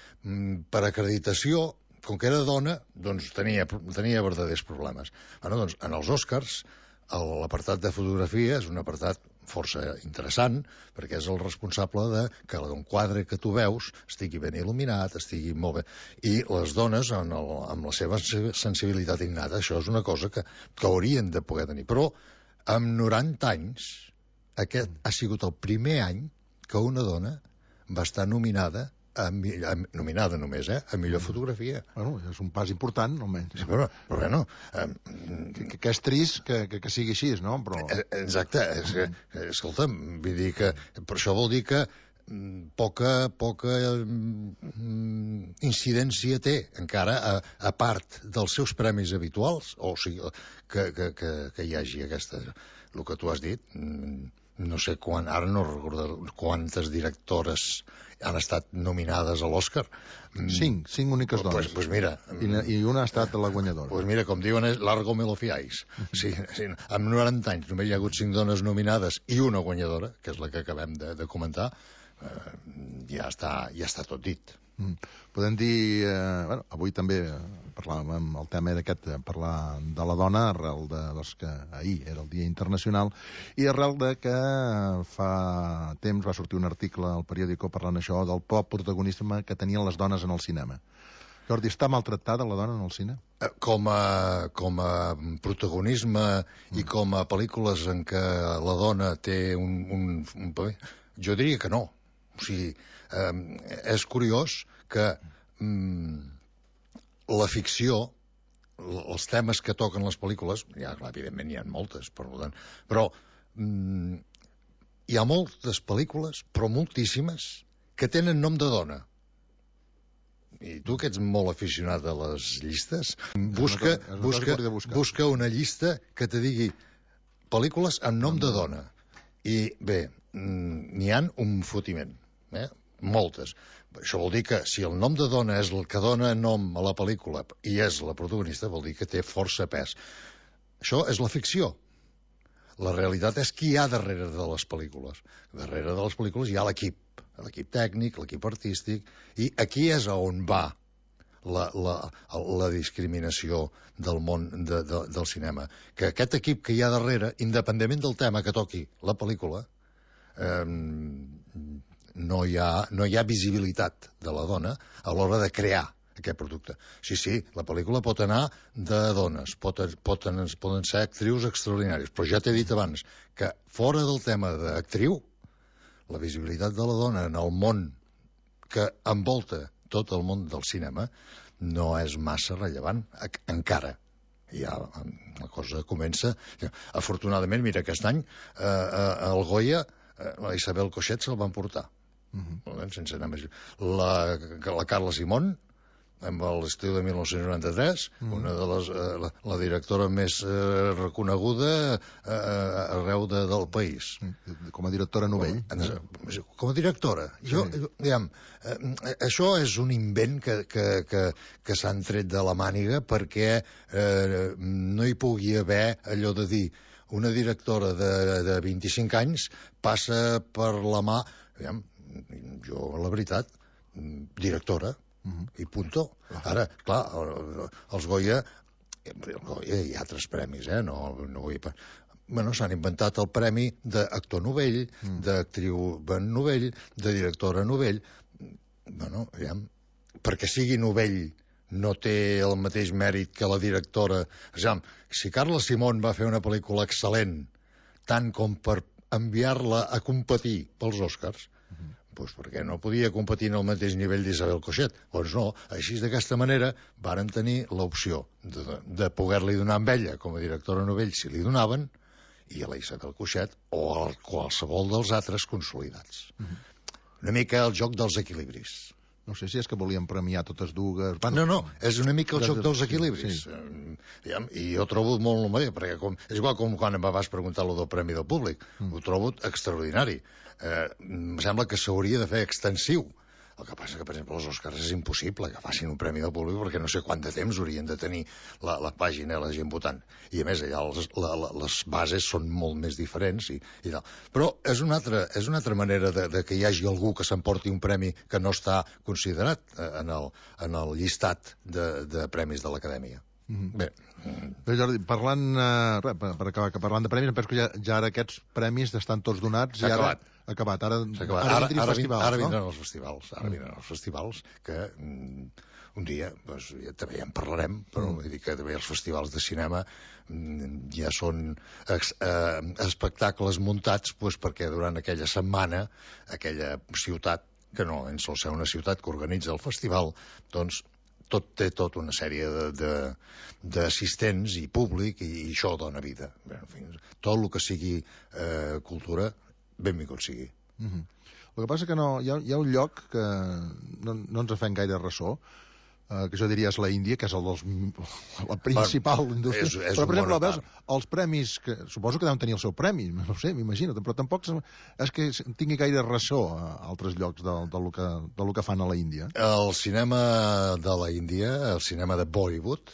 per acreditació, com que era dona, doncs tenia verdaders problemes. Doncs en els Oscars, l'apartat de fotografia és un apartat força interessant, perquè és el responsable de que un quadre que tu veus estigui ben il·luminat, estigui molt bé. I les dones, amb la seva sensibilitat innata, això és una cosa que haurien de poder tenir. Però, amb 90 anys, aquest ha sigut el primer any que una dona va estar nominada només, a millor fotografia. Bueno, és un pas important, almenys. Però bueno... Que és trist que sigui així, no? Però... Exacte. Escolta'm, vull dir que... Per això vol dir que poca incidència té, encara, a part dels seus premis habituals, o sigui, que hi hagi aquesta... El que tu has dit... No sé ara no recordo quantes directores han estat nominades a l'Oscar. 5 úniques dones. Pues mira... I una ha estat la guanyadora. Pues mira, com diuen, és largo me lo fiáis. Sí, amb 90 anys només hi ha hagut 5 dones nominades i una guanyadora, que és la que acabem de comentar, ja està tot dit. Podem dir... avui també parlàvem, el tema era aquest, parlar de la dona, arrel de que ahir era el Dia Internacional, i arrel de que fa temps va sortir un article al periòdico parlant això del poc protagonisme que tenien les dones en el cinema. Jordi, està maltractada la dona en el cine? Com a protagonisme i com a pel·lícules en què la dona té un paper, jo diria que no. O sigui, és curiós que la ficció, els temes que toquen les pel·lícules, ja, clar, evidentment hi ha moltes, però hi ha moltes pel·lícules, però moltíssimes, que tenen nom de dona. I tu, que ets molt aficionat a les llistes, busca una llista que te digui pel·lícules amb nom de dona. I bé, n'hi ha un fotiment, moltes. Això vol dir que si el nom de dona és el que dona nom a la pel·lícula i és la protagonista, vol dir que té força pes. Això és la ficció. La realitat és qui hi ha darrere de les pel·lícules. Darrere de les pel·lícules hi ha l'equip tècnic, l'equip artístic, i aquí és on va la discriminació del món del cinema. Que aquest equip que hi ha darrere, independentment del tema que toqui la pel·lícula, no hi ha visibilitat de la dona a l'hora de crear aquest producte. Sí, la pel·lícula pot anar de dones, poden ser actrius extraordinàries, però ja t'he dit abans que fora del tema d'actriu, la visibilitat de la dona en el món que envolta tot el món del cinema no és massa rellevant, encara. Ja la cosa comença. Afortunadament, mira, aquest any al Goya la Isabel Coixet se'l van portar. Sense anar més. La Carla Simón, amb l'estiu de 1993, una de la directora més reconeguda arreu del país. Com a directora novell. Com a directora. Això és un invent que s'han tret de la màniga perquè no hi pugui haver allò de dir una directora de 25 anys passa per la mà... Jo, la veritat, directora, i punto. Ara, clar, els Goya, hi ha altres premis, no vull... Bueno, s'han inventat el premi d'actor novell, d'actriu novell, de directora novell. Bueno, perquè sigui novell no té el mateix mèrit que la directora. Si Carla Simón va fer una pel·lícula excel·lent, tant com per enviar-la a competir pels Oscars, doncs perquè no podia competir en el mateix nivell d'Isabel Coixet. Doncs no, així d'aquesta manera varen tenir l'opció de poder-li donar amb ella com a directora novell si li donaven, i a la Isabel Coixet o a qualsevol dels altres consolidats. Una mica el joc dels equilibris. No sé si és que volien premiar totes dues... No, és una mica el joc dels equilibris. Sí. I jo trobo molt bé, perquè és igual com quan em vas preguntar lo del Premi del Públic. Ho trobo extraordinari. Em sembla que s'hauria de fer extensiu. El que passa que, per exemple, els Oscars és impossible que facin un Premi del Públic perquè no sé quant de temps haurien de tenir la pàgina i la gent votant. I a més, allà les bases són molt més diferents i tal. Però és una altra manera de que hi hagi algú que s'emporti un premi que no està considerat en el llistat de premis de l'Acadèmia. Bé, Jordi, parlant per acabar, que parlant de premis, em penso que ja ara aquests premis estan tots donats i ara acabat. Ara vindran els festivals. Ara vindran els festivals que un dia també ja en parlarem, però vull dir que també els festivals de cinema ja són espectacles muntats perquè durant aquella setmana aquella ciutat, que no sol ser una ciutat que organitza el festival, doncs té tota una sèrie d'assistents i públic i això dona vida. En fi, tot el que sigui cultura, benvingut sigui. El que passa que hi ha un lloc que no ens fem gaire ressò, que jo diria és la Índia, que és la principal indústria. Però, per exemple, veus, els premis, que suposo que deuen tenir el seu premi, no ho sé, m'imagino, però tampoc és que tingui gaire ressò a altres llocs del que fan a la Índia. El cinema de la Índia, el cinema de Bollywood,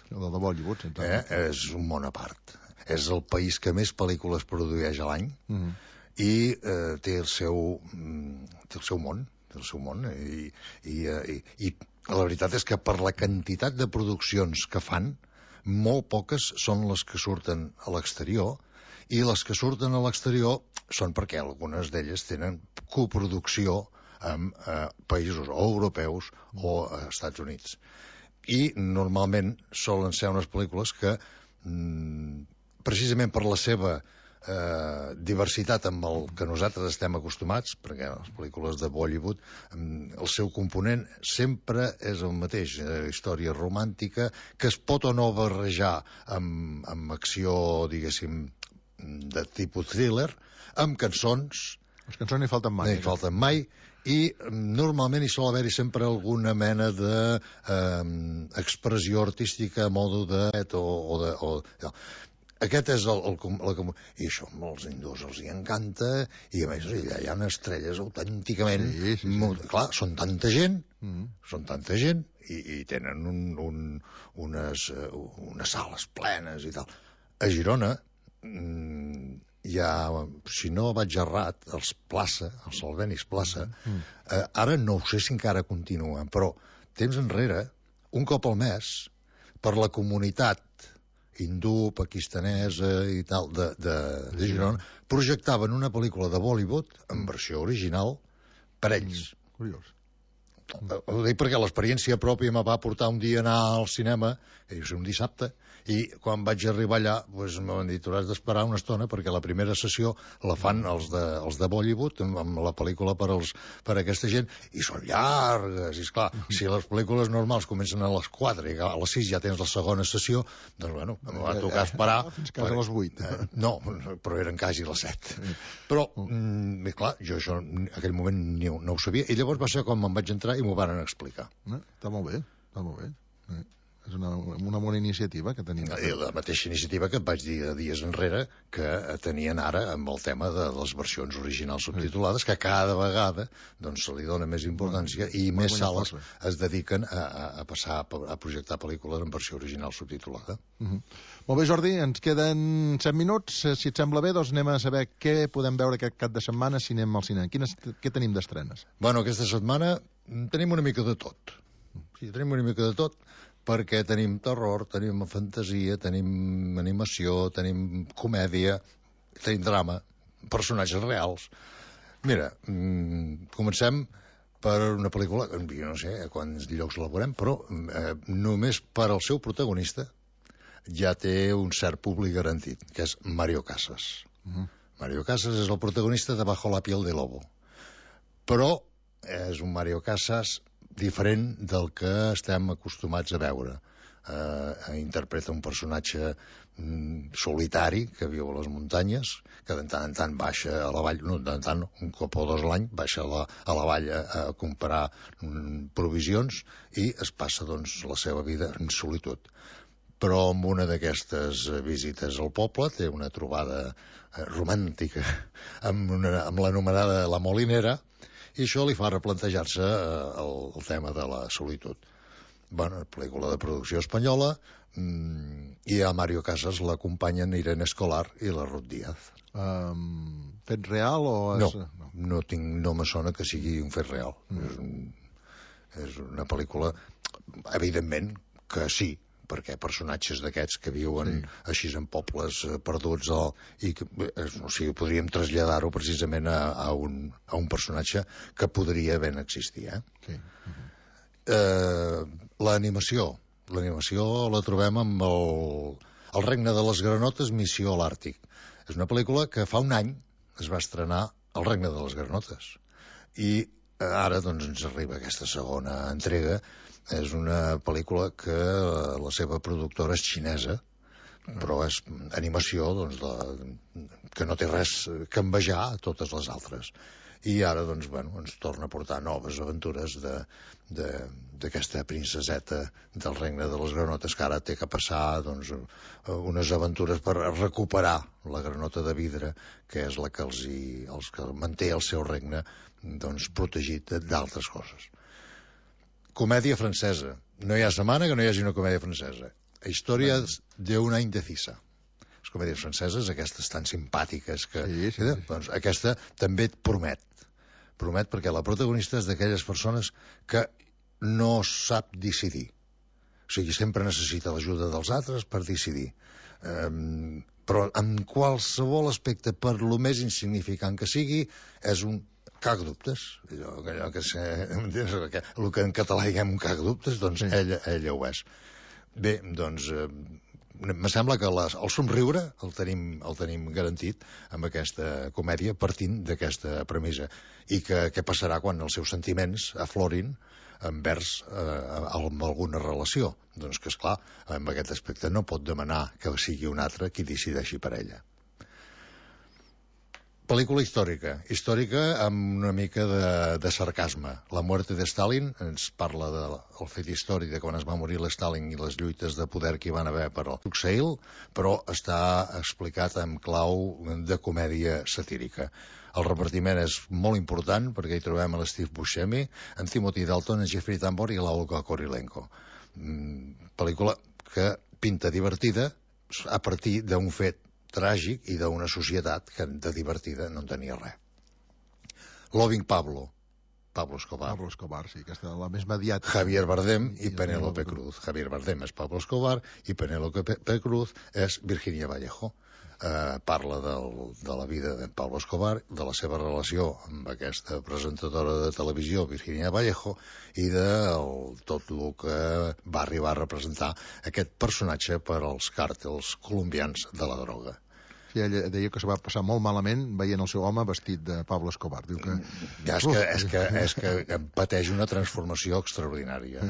és un món a part. És el país que més pel·lícules produeix a l'any i té el seu món. I la veritat és que per la quantitat de produccions que fan, molt poques són les que surten a l'exterior, i les que surten a l'exterior són perquè algunes d'elles tenen coproducció amb països o europeus o Estats Units. I normalment solen ser unes pel·lícules que, precisament per la seva diversitat amb el que nosaltres estem acostumats, perquè les pel·lícules de Bollywood el seu component sempre és el mateix, història romàntica que es pot o no barrejar amb acció, diguéssim, de tipus thriller, amb cançons. Les cançons no hi falten mai. No hi falten mai, i normalment hi sol haver-hi sempre alguna mena d'expressió artística a modo de... Aquest és i això els hindús els hi encanta, i a més allà hi ha estrelles autènticament. Clar, són tanta gent i tenen unes sales plenes i tal. A Girona hi ha, si no vaig errat, els Plaça, els Salvenis Plaça, ara no ho sé si encara continuen, però temps enrere, un cop al mes, per la comunitat hindú, pakistanesa i tal, de Girona, projectaven una pel·lícula de Bollywood en versió original per ells. Curiós. Ho dic perquè l'experiència pròpia me va portar un dia a anar al cinema, un dissabte, i quan vaig arribar allà me van dir, tu has d'esperar una estona perquè la primera sessió la fan els de Bollywood amb la pel·lícula per a aquesta gent, i són llargues, i esclar, si les pel·lícules normals comencen a les 4 i a les 6 ja tens la segona sessió, doncs bueno, em va tocar esperar fins quasi a les 8. No, però eren quasi les 7. Però, clar, jo això en aquell moment no ho sabia, i llavors va ser quan me'n vaig entrar i m'ho van explicar. Està molt bé. És una bona iniciativa que tenim. La mateixa iniciativa que et vaig dir dies enrere que tenien ara amb el tema de les versions originals subtitulades, que cada vegada se li dona més importància i més sales es dediquen a passar a projectar pel·lícules en versió original subtitulada. Molt bé, Jordi, ens queden 7 minuts. Si et sembla bé, doncs anem a saber què podem veure aquest cap de setmana si anem al cinema. Què tenim d'estrenes? Bueno, aquesta setmana tenim una mica de tot. Sí, tenim una mica de tot, perquè tenim terror, tenim fantasia, tenim animació, tenim comèdia, tenim drama, personatges reals. Mira, comencem per una pel·lícula, jo no sé a quants llocs la veurem, però només per al seu protagonista ja té un cert públic garantit, que és Mario Casas. Mario Casas és el protagonista de Bajo la piel de lobo. Però és un Mario Casas diferent del que estem acostumats a veure. interpreta un personatge solitari que viu a les muntanyes, que de tant en tant baixa a la vall, no, de tant en tant, un cop o dos l'any, baixa a la vall a comprar provisions i es passa, doncs, la seva vida en solitud. Però amb una d'aquestes visites al poble té una trobada romàntica amb l'anomenada La Molinera, i això li fa replantejar-se el tema de la solitud. Bueno, pel·lícula de producció espanyola, i a Mario Casas l'acompanyen Irene Escolar i la Ruth Díaz. Fet real o... No me sona que sigui un fet real. És una pel·lícula, evidentment que sí, perquè personatges d'aquests que viuen així en pobles perduts i que, o sigui, podríem traslladar-ho precisament a un personatge que podria ben existir. L'animació la trobem amb el Regne de les Granotes, Missió a l'Àrtic. És una pel·lícula que fa un any es va estrenar El Regne de les Granotes i ara doncs ens arriba aquesta segona entrega. És una pel·lícula que la seva productora és xinesa, però és animació doncs, que no té res que envejar a totes les altres. I ara doncs, bueno, ens torna a portar noves aventures d'aquesta princeseta del Regne de les Granotes, que ara té que passar doncs, unes aventures per recuperar la granota de vidre, que és la que els que manté el seu regne doncs, protegit d'altres coses. Comèdia francesa. No hi ha setmana que no hi hagi una comèdia francesa. Històries d'un any indecisa. Les comèdies franceses, aquestes tan simpàtiques que... Doncs aquesta també et promet perquè la protagonista és d'aquelles persones que no sap decidir. O sigui, sempre necessita l'ajuda dels altres per decidir. Però en qualsevol aspecte, per lo més insignificant que sigui, és un cac dubtes. El que en català diguem un cac dubtes, doncs ella ho és. Bé, doncs... me sembla que el somriure el tenim garantit amb aquesta comèdia partint d'aquesta premissa. I què passarà quan els seus sentiments aflorin envers amb alguna relació? Doncs que, esclar, amb aquest aspecte no pot demanar que sigui un altre qui decideixi per ella. Pel·lícula històrica amb una mica de sarcasme. La muerte de Stalin ens parla del fet històric de quan es va morir l'Stalin i les lluites de poder que hi van haver per al Tuxeil, però està explicat en clau de comèdia satírica. El repartiment és molt important perquè hi trobem a l'Steve Buscemi, en Timothy Dalton, en Jeffrey Tambor i l'Olga Kurylenko. Pel·lícula que pinta divertida a partir d'un fet tràgic i d'una societat que de divertida no en tenia res. Loving Pablo Escobar. Pablo Escobar, sí, que és la més mediàtica. Javier Bardem i Penélope Cruz. Javier Bardem és Pablo Escobar i Penélope Cruz és Virginia Vallejo. Parla de la vida de Pablo Escobar, de la seva relació amb aquesta presentadora de televisió, Virginia Vallejo, i de tot el que va arribar a representar aquest personatge per als càrtels colombians de la droga. Sí, ella deia que se va passar molt malament veient el seu home vestit de Pablo Escobar. Diu que... És que pateix una transformació extraordinària.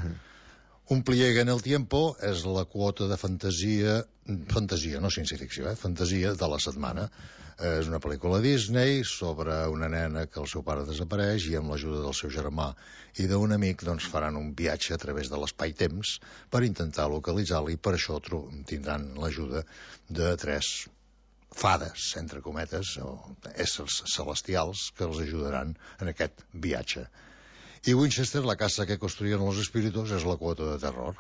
Un pliegue en el tiempo és la quota de fantasia, no ciència-ficció, fantasia de la setmana. És una pel·lícula Disney sobre una nena que el seu pare desapareix i amb l'ajuda del seu germà i d'un amic doncs, faran un viatge a través de l'espai-temps per intentar localitzar-lo, i per això tindran l'ajuda de 3 fades, entre cometes, o éssers celestials que els ajudaran en aquest viatge. I Winchester, la casa que construïen els espíritus, és la quota de terror.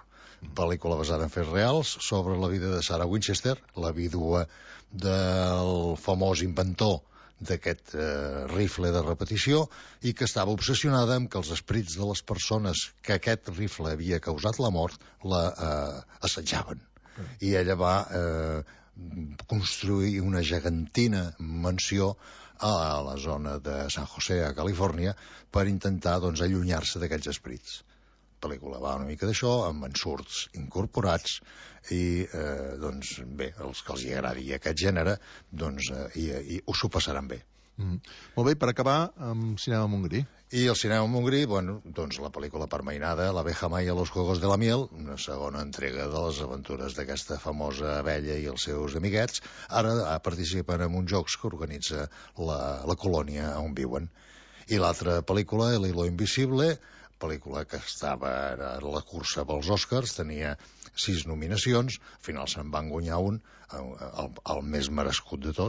Pel·lícula basada en fets reals sobre la vida de Sarah Winchester, la vídua del famós inventor d'aquest rifle de repetició, i que estava obsessionada amb que els esprits de les persones que aquest rifle havia causat la mort assetjaven. I ella va construir una gegantina mansió a la zona de San José, a Califòrnia, per intentar doncs, allunyar-se d'aquests esprits. La pel·lícula va una mica d'això, amb ensurts incorporats, i doncs, bé, els que els agradi aquest gènere doncs, i ho s'ho passaran bé. Molt bé, per acabar, amb Cinema Montgrí. I el Cinema Montgrí, bueno, doncs la pel·lícula permainada, L'abeja Maya, Los Juegos de la Miel, una segona entrega de les aventures d'aquesta famosa abella i els seus amiguets. Ara participen en uns jocs que organitza la colònia on viuen. I l'altra pel·lícula, El hilo invisible, pel·lícula que estava a la cursa pels Oscars, tenia 6 nominacions, al final se'n van guanyar un, el més merescut de tots,